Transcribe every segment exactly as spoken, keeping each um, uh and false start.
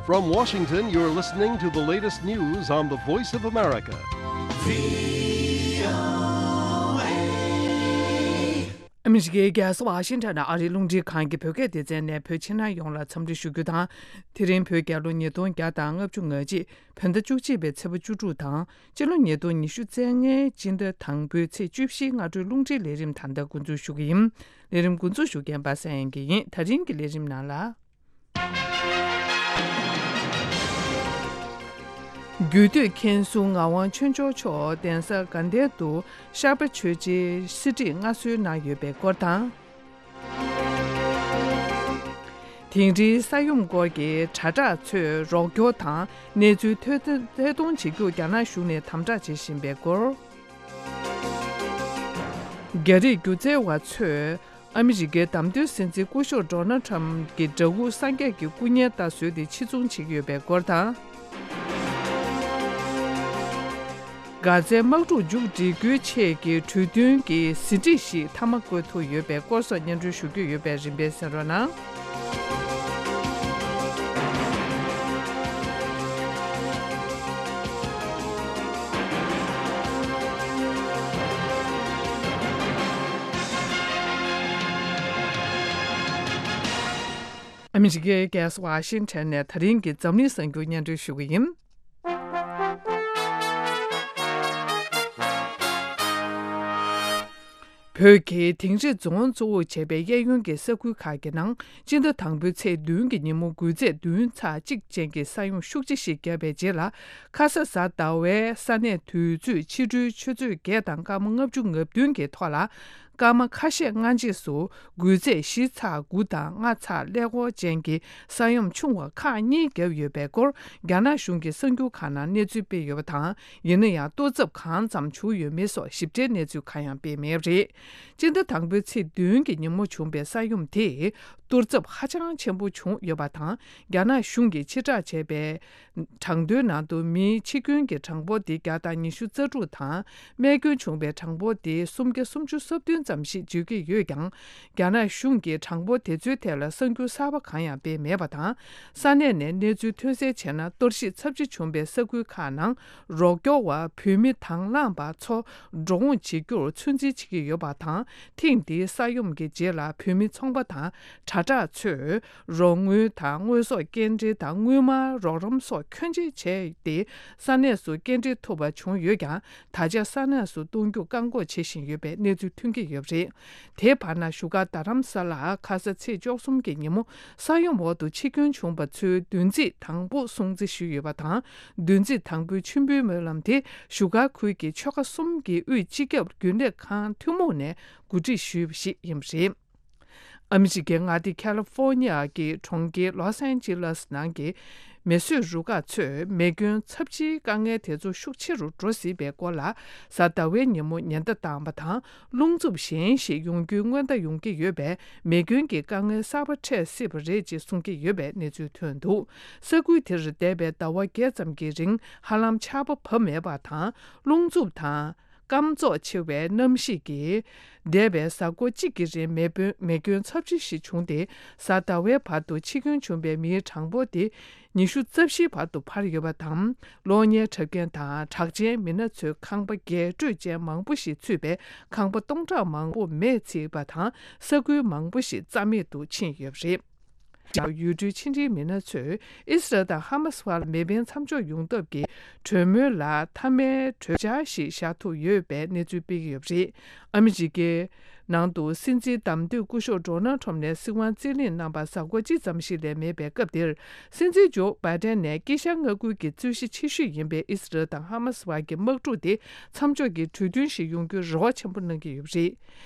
From Washington, you're listening to the latest news on the Voice of America. ཨ་མི་རི་ཀའི་རྒྱལ་ས་ཝ་ཤིང་ཊོན་ནང་ཨ་རིའི་རླུང་འཕྲིན་ཁང་གི་བོད་སྐད་སྡེ་ཚན་ནས་བོད་ཕྱི་ནང་ཡོངས་ལ་འཚམས་འདྲི་ཞུ་རྒྱུ་དང་། དེ་རིང་བོད་རྒྱལ་ལོ་ཉིས་སྟོང་བརྒྱ་དང་ལྔ་བཅུ་ང་གཅིག་བོད་ཟླ་བཅུ་གཅིག་པའི་ཚེས་པ་བཅུ་དྲུག་དང་། སྤྱི་ལོ་ཉིས་སྟོང་ཉི་ཤུ་རྩ་ལྔའི་སྤྱི་ཟླ་དང་པོའི་ཚེས་བཅུ་བཞིའི་སྔ་དྲོའི་རླུང་འཕྲིན་ལས་རིམ་ད་ལྟ་འགོ་འཛུགས་ཞུ་གི་ཡིན། ལས་རིམ་འགོ་འཛུགས་ཞུ་མཁན་པ་སངས་དབྱངས་སྐྱིད་ཡིན། ད་རིང་གི་ལས་རིམ་ནང་ལ། རྒྱུད་སྟོད་མཁན་ཟུར་ངག་དབང་ཆོས་འབྱོར་མཆོག་གདན་ས་དགའ་ལྡན་དུ་ཤར་པ་ཆོས་རྗེའི་གསེར་བྲིས་མངའ་གསོལ་གནང་ཡོད་པའི་སྐོར་དང་། དིང་རིའི་ས་ཡོམ་སྐོར་གྱི་དྲ་གྲགས་ཚོས་རོགས་སྐྱོར་དང་གནས་ཚུལ་ཐད་གཏོང་བྱེད་རྒྱུར་རྒྱ་ནག་གཞུང་ནས་དམ་དྲག་བྱེད་བཞིན་པའི་སྐོར། རྒྱ་རིགས་སྒྱུ་རྩལ་བ་ཚོས་ཨ་མི་རི་ཀའི་བདམས་ཐོན་སྲིད་འཛིན་སྐུ་ཞབས་ཌོ་ནལ་ཁྲམ་གྱི་འདྲ་སྐུ་སངས་རྒྱས་ཀྱི་སྐུ་བརྙན་ལྟར་བཟོས་ཏེ་ཕྱིར་ཚོང་བྱེད་ཀྱི་ཡོད་པའི་སྐོར་དང་། གྷ་ཛའི་དམག་འཁྲུག་མཇུག་སྒྲིལ་རྒྱུའི་ཆེད་ཀྱི་གྲོས་མཐུན་གྱི་ཟིན་བྲིས་ཤིག་མཐའ་མ་བཀོད་ཐུབ་ཡོད་པའི་སྐོར་སོགས་སྙན་སྒྲོན་ཞུ་རྒྱུ་ཡོད་པས་རིམ་པས་གསན་རོགས་གནང་། ཨ་མི་རི་ཀའི་རྒྱལ་ས་ཝ་ཤིང་ཊོན་ནས་ད་རིང་གི་འཛམ་གླིང་གསར་འགྱུར་སྙན་སྒྲོན་ཞུ་གི་ཡིན། བོད་ཀྱི་དིང་རི་རྫོང་གཙོ་བོར་བྱས་པའི་གཡས་གཡོན་གྱི་ས་ཁུལ་ཁག་གི་ནང་སྤྱི་ཟླ་དང་པོའི་ཚེས་བདུན་གྱི་ཉིན་མོ་འགུལ་ཚད་བདུན་ཚེག་གཅིག་ཅན་གྱི་ས་ཡོམ་ཤུགས་ཆེ་ཞིག་བརྒྱབ་པའི་རྗེས་ལ། ཁ་ས་གཟའ་ཟླ་བའི་ས་གནས་དུས་ཚོད་ཕྱི་དྲོའི་ཆུ་ཚོད་བརྒྱད་དང་སྐར་མ་ལྔ་བཅུ་ང་བདུན་གྱི་ཐོག་ལ། སྐར་མ་ཁ་ཤས་སྔ་རྗེས་སུ་འགུལ་ཚད་བཞི་ཚེག་དགུ་དང་ལྔ་ཚེག་ཀླད་ཀོར་ཅན་གྱི་ས་ཡོམ་ཆུང་བ་ཁག་གཉིས་བརྒྱབ་ཡོད་པའི་སྐོར་རྒྱ་ནག་གཞུང་གི་གསར་འགྱུར་ཁག་ནང་གནས་ཚུལ་སྤེལ་ཡོད་པ་དང་། ཡིན་ན་ཡང་གཏོར་ཚབ་གང་ཙམ་བྱུང་ཡོད་མེད་སོགས་ཞིབ་ཕྲའི་གནས་ཚུལ་གང་ཡང་སྤེལ་མེད་པ་རེད། སྤྱི་ཟླ་དང་པོའི་ཚེས་བདུན་གྱི་ཉིན་མོ་བྱུང་པའི་ས་ཡོམ་དེས་གཏོར་ཚབ་ཧ་ཅང་ཆེན་པོ་བྱུང་ཡོད་པ་དང་། རྒྱ་ནག་གཞུང་གིས་ཕྱིར་བསྒྲགས་བྱས་པའི་གྲངས་ཐོའི་ནང་དུ་མིའི་འཆི་སྐྱོན་གྱི་གྲངས་འབོར་དེ་བརྒྱ་དང་ཉི་ཤུ་རྩ་དྲུག་དང་། རྨས་སྐྱོན་བྱུང་བའི་གྲངས་འབོར་དེ་སུམ་བརྒྱ་སུམ་ཅུ་སོ་བདུན་ཙམ་ཞིག་བརྗོད་ཀྱི་ཡོད་ཀྱང་། རྒྱ་ནག་གཞུང་གིས་གྲངས་འབོར་དེ་ཚོའི་ཐད་ལ་གསར་འགྱུར་གསར་པ་གང་ཡང་སྤེལ་མེད་པ་དང་། ས་གནས་ནས་གནས་ཚུལ་ཐོན་གསལ་བྱས་ན། གཏོར་བཤིག་ཚབས་ཆེ་བྱུང་བའི་ས་ཁུལ་ཁག་ནང་རོགས་སྐྱོར་བ་བོད་མི་དང་བླངས་པ་ཚོ་འགྲོ་འོང་བྱེད་རྒྱུར་ཚོད་འཛིན་བྱེད་ཀྱི་ཡོད་པ་དང་། ཐེངས་འདིའི་ས་ཡོམ་གྱི་རྗེས་ལ་བོད་མི་ཚོང་པ་དང་དྲ་གྲགས་ཚོས་རོགས་དངུལ་དང་དངོས་ཟོག་སྐྱེལ་འདྲེན་དང་དངུལ་སྨར་རོགས་རམ་སོགས་ཁྱོན་ཆེ་བྱས་ཏེ། ས་གནས་སུ་སྐྱེལ་འདྲེན་ཐུབ་པ་བྱུང་ཡོད་ཀྱང་། ད་ཆ་ས་གནས་སུ་གཏོང་རྒྱུ་བཀག་འགོག་བྱེད་བཞིན་ཡོད་པའི་གནས་ཚུལ་ཐོན་གྱི་ཡོད་པ་རེད། དེའི་བར་ན་བཞུགས་སྒར་རྡ་རམ་ས་ལར་ཁ་ས་ཚེས་བཅུ་གསུམ་གྱི་ཉིན་མོ་ས་ཡོམ་འོག་ཏུ་འཆི་སྐྱོན་བྱུང་བ་ཚོའི་བདུན་ཚིགས་དང་པོ་སྲུང་བརྩི་ཞུས་ཡོད་པ་དང་། བདུན་ཚིགས་དང་པོའི་མཆོད་འབུལ་སྨོན་ལམ་དེ་བཞུགས་སྒར་ཁུལ་གྱི་ཆོལ་ཁ་གསུམ་གྱི་དབུས་སྤྱི་ཁྱབ་རྒྱུན་ལས་ཁང་ཐུན་མོང་ནས་གོ་སྒྲིག་ཞུས་པ་ཞིག་ཡིན་པ་རེད། ཨ་མི་རི་ཀའི་མངའ་སྡེ་ཁ་ལི་ཧྥོ་ནི་ཡ་གི་གྲོང་ཁྱེར་ལོས་ཨན་ཇི་ལེས་ནང་གི་མེ་གསོད་རུ་ཁག་ཚོས་མེ་སྐྱོན་ཚབས་ཆེའི་དཀའ་ངལ་དེ་ཚོ་ཤུགས་ཆེ་རུ་འགྲོ་སྲིད་པའི་སྐོར་ལ། གཟའ་ཟླ་བའི་ཉིན་མོ་ཉེན་བརྡ་བཏང་བ་དང་། རླུང་འཚུབ་གཞན་ཞིག་ཡོང་རྒྱུའི་སྔོན་བརྡ་ཡོང་གི་ཡོད་པས། མེ་སྐྱོན་གྱི་དཀའ་ངལ་གསར་པ་འཕྲད་སྲིད་པ་རེད་ཅེས་གསུང་གི་ཡོད་པའི་གནས་ཚུལ་ཐོན་འདུག། ས་ཁུལ་དེར་འདས་པའི་ཟླ་བ་བརྒྱད་ཙམ་གྱི་རིང་ཧ་ལམ་ཆར་པ་བབས་མེད་པ་དང་། རླུང་འཚུབ་དང་། སྐམ་བཙོག་ཆེ་བའི་གནམ་གཤིས་ཀྱིས། འདས་པའི་གཟའ་འཁོར་གཅིག་གི་རིང་མེ་སྐྱོན་མེ་སྐྱོན་ཚབས་ཆེ་ཞིག་བྱུང་སྟེ། གཟའ་ཟླ་བའི་བར་དུ་འཆི་སྐྱོན་བྱུང་བའི་མིའི་གྲངས་འབོར་དེ་ཉི་ཤུ་རྩ་བཞིའི་བར་དུ་འཕར་ཡོད་པ་དང་། གློག་བརྙན་འཁྲབ་མཁན་དང་གྲགས་ཅན་མི་སྣ་ཚོའི་ཁང་པ་རྒྱས་སྤྲོས་ཅན་མང་པོ་ཞིག་ཚུད་པའི་ཁང་པ་སྟོང་ཕྲག་མང་པོ་མེས་ཚིག་པ་དང་། ས་ཁུལ་མང་པོ་ཞིག་རྩ་མེད་དུ་ཕྱིན་ཡོད་པ་རེད། ཡུལ་གྲུའི་ཕྱི་འབྲེལ་མི་སྣ་ཚོས་ཨི་སི་རལ་དང་ཧ་མ་སི་བར་མེ་འཕེན་མཚམས་འཇོག་ཡོང་ཐབས་ཀྱི་གྲོས་མོལ་ལ་མཐའ་མའི་གྲོས་འཆར་ཞིག་བཞག་ཐུབ་ཡོད་པའི་གནས་ཚུལ་སྤེལ་གྱི་ཡོད་པ་རེད། ཨ་མི་རི་ཀའི་ནང་དུ་སྲིད་འཛིན་བདམས་ཐོན་སྐུ་ཞབས་ཌོ་ནལ་ཁྲོམ་ནས་སྲིད་དབང་རྩིས་ལེན་གནང་བར་གཟའ་འཁོར་གཅིག་ཙམ་ཞིག་ལས་མེད་པའི་སྐབས་འདིར། སྲིད་འཛིན་ཇོ་བྷའི་ཏན་ནས་དཀྱིལ་ཤར་མངའ་ཁུལ་གྱི་རྩོད་གཞི་ཆེ་ཤོས་ཡིན་པའི་ཨི་སི་རལ་དང་ཧ་མ་སི་བར་གྱི་དམག་འཁྲུག་དེ་མཚམས་འཇོག་གི་གྲོས་མཐུན་ཞིག་ཡོང་རྒྱུའི་རེ་བ་ཆེན་པོ་གནང་གི་ཡོད་པ་རེད།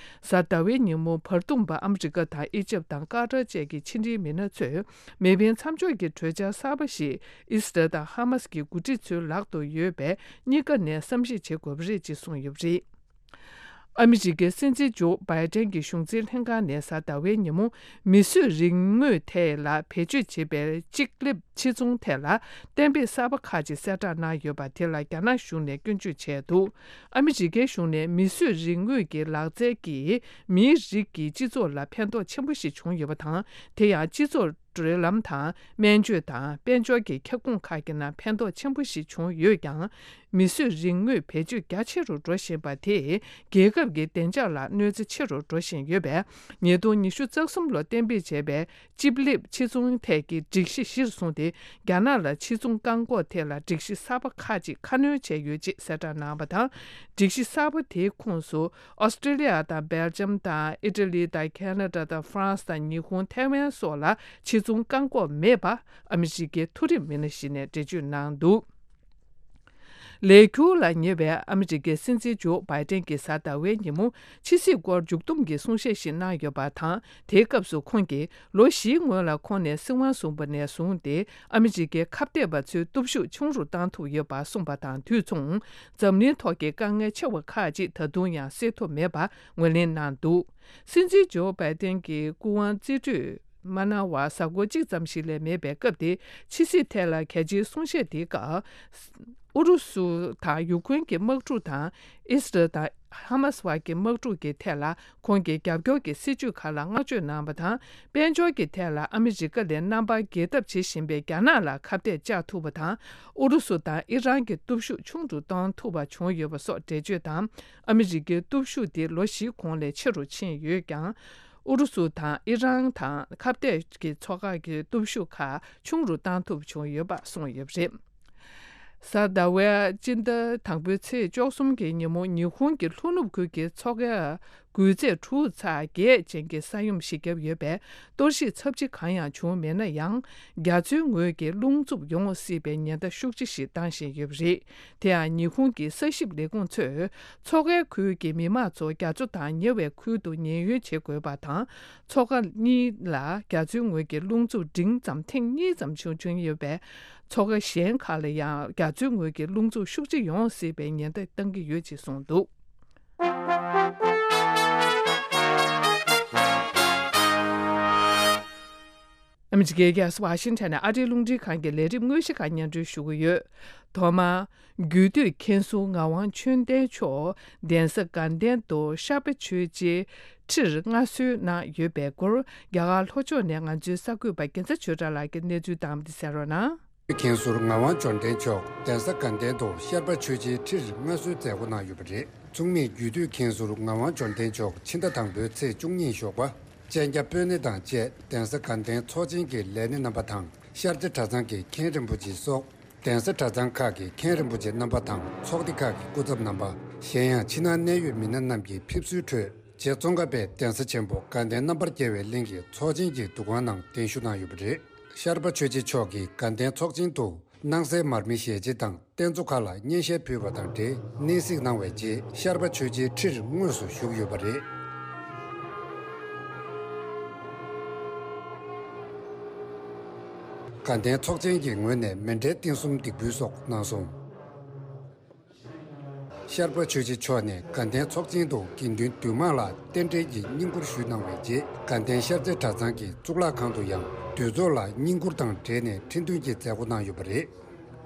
གཟའ་ཟླ་བའི་ཉིན་མོ་བར་འདུམ་པ་ཨ་མི་རི་ཀ་དང་ཨི་ཇེབ་དང་ཀ་ཏར་བཅས་ཀྱི་ཕྱི་འབྲེལ་མི་སྣ་ཚོས་མེ་འཕེན་མཚམས་འཇོག་གི་གྲོས་འཆར་གསར་པ་ཞིག་ཨི་སི་རལ་དང་ཧ་མ་སི་གི་འགོ་ཁྲིད་ཚོའི་ལག་ཏུ་ཡོད་པས། གཉིས་ཀ་ནས་བསམ་གཞིག་བྱེད་དགོས་པ་རེད་ཅེས་གསུངས་ཡོད་པ་རེད། ཨ་མི་རི་ཀའི་སྲིད་འཛིན་ཇོ་བྷའི་ཏན་གྱི་གཞུང་འཛིན་ལྷན་ཁང་ནས་གཟའ་ཟླ་བའི་ཉིན་མོ་མིས་བཟོས་རིག་དངོས་ཐད་ལ་བེད་སྤྱོད་བྱེད་པའི་ཅིག་ལེབ་ཕྱིར་ཚོང་ཐད་ལ་གཏན་འབེབས་གསར་པ་ཁག་ཅིག་གསལ་བསྒྲགས་གནང་ཡོད་པ་དེ་ལ་རྒྱ་ནག་གཞུང་ནས་སྐྱོན་བརྗོད་བྱས་འདུག། ཨ་མི་རི་ཀའི་གཞུང་ནས་མིས་བཟོས་རིག་དངོས་ཀྱི་ལག་རྩལ་གྱིས་མིའི་རིགས་ཀྱི་སྤྱི་ཚོགས་ལ་ཕན་ཐོགས་ཆེན་པོ་ཞིག་བྱུང་ཡོད་པ་དང་། དེ་ཡང་སྤྱི་ཚོགས་ འགྲུལ་ལམ་དང་སྨན་བཅོས་དང་དཔལ་འབྱོར་གྱི་ཁྱབ་ཁོངས་ཁག་གི་ནང་ཕན་ཐོགས་ཆེན་པོ་ཞིག་བྱུང་ཡོད་ཀྱང་། མིས་བཟོས་རིག་དངོས་བེད་སྤྱོད་རྒྱ་ཆེ་རུ་འགྲོ་བཞིན་པ་དེས་རྒྱལ་ཁབ་ཀྱི་བདེ་འཇགས་ལ་གནོད་འཚེ་ཆེ་རུ་འགྲོ་བཞིན་ཡོད་པས། ཉིས་སྟོང་ཉི་ཤུ་རྩ་གསུམ་ལོ་གཏན་འབེབས་བྱས་པའི་ཅིབ་ལིབ་ཕྱིར་ཚོང་ཐད་ཀྱི་སྒྲིག་གཞི་གཞིར་བཟུང་སྟེ། རྒྱ་ནག་ལ་ཕྱིར་ཚོང་བཀག་འགོག་ཐད་ལ་སྒྲིག་གཞི་གསར་པ་ཁག་ཅིག་ཁ་སྣོན་བྱས་ཡོད་ཅེས་གསལ་བསྒྲགས་གནང་བ་དང་། སྒྲིག་གཞི་གསར་པ་དེའི་ཁོངས་སུ། ཨོ་སི་ཀྲི་ལི་ཡ་དང་སྦེལ་ཇམ་དང་ཨི་ཊ་ལི་དང་ཁེ་ན་ཌ་དང་ཧྥ་རན་སི་དང་ཉི་ཧོང་ཐའེ་ཝན་སོགས་ལ་ཕྱིར་ཚོང་བཀག་འགོག་མེད་པ་ཨ་མི་རི་ཀའི་མཐོ་རིམ་མི་སྣ་ཞིག་ནས་འགྲེལ་བརྗོད་གནང་འདུག་ལས་འཁྱུར་ལ་ཉེ་བའི་ཨ་མི་རི་ཀའི་སྲིད་འཛིན་ཇོ་བྷའི་ཏན་གྱིས་གཟའ་ཟླ་བའི་ཉིན་མོ་ཕྱི་སྲིད་སྐོར་མཇུག་བསྡོམས་ཀྱི་གསུང་བཤད་ཞིག་གནང་ཡོད་པ་དང་། དེའི་སྐབས་སུ་ཁོང་གིས་ལོ་བཞིའི་སྔོན་ལ་ཁོང་ནས་སྲིད་དབང་བཟུང་བ་ནས་བཟུང་སྟེ་ཨ་མི་རི་ཀའི་ཁ་གཏད་པ་ཚོའི་སྟོབས་ཤུགས་ཆུང་རུ་བཏང་ཐུབ་ཡོད་པ་གསུངས་པ་དང་དུས་མཚུངས། འཛམ་གླིང་ཐོག་གི་དཀའ་ངལ་ཆེ་བ་ཁག་ཅིག་ད་དུང་ཡང་སེལ་ཐུབ་མེད་པ་ངོས་ལེན་གནང་འདུག་སྲིད་འཛིན་ཇོ་བྷའི་ཏན་གྱི་སྐུ་དབང་རྩིས་སྤྲོད་མ་གནང་བར་གཟའ་འཁོར་གཅིག་ཙམ་ཞིག་ལས་མེད་པའི་སྐབས་དེ། ཕྱི་སྲིད་ཐད་ལ་གལ་ཆེའི་གསུང་བཤད་དེའི་སྐབས། ཨུ་རུ་སུ་དང་ཡུ་ཁུན་གྱི་དམག་འཁྲུག་དང་། ཨི་སི་རལ་དང་ཧ་མ་སི་བར་གྱི་དམག་འཁྲུག་གི་ཐད་ལ་ཁོང་གིས་རྒྱབ་སྐྱོར་གྱི་སྲིད་ཇུས་ཁག་ལ་བསྔགས་བརྗོད་གནང་བ་དང་། དཔལ་འབྱོར་གྱི་ཐད་ལ་ཨ་མི་རི་ཀ་ལས་རྣམ་པར་རྒྱལ་ཐབས་བྱེད་བཞིན་པའི་རྒྱ་ནག་ལ་ཁ་གཏད་བཅག་ཐུབ་པ་དང་། ཨུ་རུ་སུ་དང་ཨི་རན་གྱི་སྟོབས་ཤུགས་ཆུང་དུ་གཏོང་ཐུབ་པ་བྱུང་ཡོད་པ་སོགས་འགྲེལ་བརྗོད་དང་། ཨ་མི་རི་ཀའི་སྟོབས་ཤུགས་དེ་ལོ་བཞིའི་གོང་ལས་ཆེ་རུ་ཕྱིན་ཡོད་ཀྱང་། ཨུ་རུ་སུ་དང་ཨི་རན་དང་ཁ་གཏད་ཀྱི་མཚོ་ཁག་གི་སྟོབས་ཤུགས་ཁག་ཆུང་རུ་བཏང་ཐུབ་བྱུང་ཡོད་པ་གསུངས་ཡོད་པ་རེད། གཟའ་ཟླ་བའི་སྤྱི་ཟླ་དང་པོའི་ཚེས་བཅུ་གསུམ་གྱི་ཉིན་མོ་ཉི་ཧོང་གི་ལྷོ་ནུབ་ཁུལ་གྱི་མཚོ་ཁའི་རྒུད་ཚད་དྲུག་ཚེག་བརྒྱད་ཅན་གྱི་ས་ཡོམ་ཞིག་བརྒྱབ་ཡོད་པས། གཏོར་བཤིག་ཚབས་ཆེ་གང་ཡང་བྱུང་མེད་ན་ཡང་། རྒྱ་མཚོའི་ངོས་ཀྱི་རླུང་འཚུབ་ཡོང་སྲིད་པའི་ཉེན་བརྡ་ཤུགས་ཆེ་ཞིག་བཏང་བཞིན་ཡོད་པ་རེད། དེ་ཡང་ཉི་ཧོང་གི་ས་ཞིབ་ལས་ཁུངས་ཚོས། མཚོ་ཁའི་ཁུལ་གྱི་མི་མང་ཚོ་རྒྱ་མཚོ་དང་ཉེ་བའི་ཁུལ་དུ་ཉེན་གཡོལ་བྱེད་དགོས་པ་དང་། མཚོ་ཁ་གཉིས་ལ་རྒྱ་མཚོའི་ངོས་ཀྱི་རླུང་འཚུབ་འབྲིང་ཙམ་ཐེངས་གཉིས་ཙམ་བྱུང་བྱུང་ཡོད་པས། མཚོ་ཁ་གཞན་ཁག་ལ་ཡང་རྒྱ་མཚོའི་ངོས་ཀྱི་རླུང་འཚུབ་ཤུགས་ཆེ་ཡོང་སྲིད་པའི་ཉེན་བརྡ་བཏང་གི་ཡོད་ཅེས་གསུངས་འདུག་ཨ་མི་རི་ཀའི་རྒྱལ་ས་ཝ་ཤིང་ཊོན་ནས་ཨ་རིའི་རླུང་འཕྲིན་ཁང་གི་ལས་རིམ་དངོས་གཞི་ཁག་སྙན་སྒྲོན་ཞུ་གི་ཡོད། ཐོག་མར། རྒྱུད་སྟོད་མཁན་ཟུར་ངག་དབང་ཆོས་ལྡན་མཆོག་གདན་ས་དགའ་ལྡན་དུ་ཤར་པ་ཆོས་རྗེའི་ཁྲིར་མངའ་གསོལ་གནང་ཡོད་པའི་སྐོར། རྒྱ་གར་ལྷོ་ཕྱོགས་ནས་ང་ཚོའི་གསར་འགོད་པ་རྒྱལ་མཚན་ཆོས་གྲགས་ལགས་ཀྱིས་གནས་ཚུལ་དང་པོ་དེ་གསན་རོགས་གནང་། མཁན་ཟུར་ངག་དབང་འབྱོར་ལྡན་མཆོག་གདན་ས་དགའ་ལྡན་དུ་ཤར་པ་ཆོས་རྗེའི་ཁྲིར་མངའ་གསོལ་མཛད་སྒོ་གནང་ཡོད་པ་རེད། མཚུངས་མེད་རྒྱུད་སྟོད་མཁན་ཟུར་ངག་དབང་འབྱོར་ལྡན་མཆོག་ཕྱི་ཟླ་དང་པོའི་ཚེས་བཅུ་གཉིས་ཞོགས་པ། སྤྱན་རྒྱ་སྤོས་སྣེ་དང་བཅས་གདན་ས་དགའ་ལྡན་ཚོགས་ཆེན་གྱི་ལས་སྣེ་རྣམ་པ་དང་ཤར་རྩེ་གྲྭ་ཚང་གི་མཁན་རིན་པོ་ཆེ་སོགས། གདན་ས་གྲྭ་ཚང་ཁག་གི་མཁན་རིན་པོ་ཆེ་རྣམ་པ་དང་ཚོགས་སྡེ་ཁག་གི་སྐུ་ཚབ་རྣམ་པ། གཞན་ཡང་ཕྱི་ནང་གནད་ཡོད་མི་སྣ་རྣམས་ཀྱི་ཕེབས་བསུའི་ཁྲོད། རྗེ་ཙོང་ཁ་པའི་གདན་ས་ཆེན་པོ་དགའ་ལྡན་རྣམ་པར་རྒྱལ་བའི་གླིང་གི་ཚོགས་ཆེན་གྱི་འདུ་ཁང་ནང་གདན་ཞུ་གནང་ཡོད་པ་རེད། ཤར་པ་ཆོས་རྗེ་མཆོག་གིས་དགའ་ལྡན་ཚོགས་ཆེན་དུ་སྣང་གསལ་མར་མེ་ཞལ་ལྕེ་དང་རྟེན་གཙོ་ཁག་ལ་སྙན་ཤལ་ཕུལ་བ་དང་འབྲེལ་གནས་གཟིགས་གནང་བའི་རྗེས་ཤར་པ་ཆོས་རྗེའི་ཁྲིར་དངོས་སུ་བཞུགས་ཡོད་པ་རེད། དགའ་ལྡན་ཚོགས་ཆེན་གྱི་ངོས་ནས་མཎྜལ་རྟེན་གསུམ་འདེགས་འབུལ་སོགས་གནང་སོང་། ཤར་པ་ཆོས་རྗེ་མཆོག་ནས་དགའ་ལྡན་ཚོགས་ཆེན་དུ་དགེ་འདུན་འདུས་མང་ལ་རྟེན་འབྲེལ་གྱི་བསྙེན་བཀུར་ཞུས་གནང་བའི་རྗེས་དགའ་ལྡན་ཤར་རྩེ་གྲྭ་ཚང་གི་གཙུག་ལག་ཁང་དུ་ཡང་འདུས་ཚོགས་ལ་བསྙེན་བཀུར་དང་འབྲེལ་ནས་ཁྲི་འདོན་གྱི་མཛད་སྒོ་གནང་ཡོད་པ་རེད།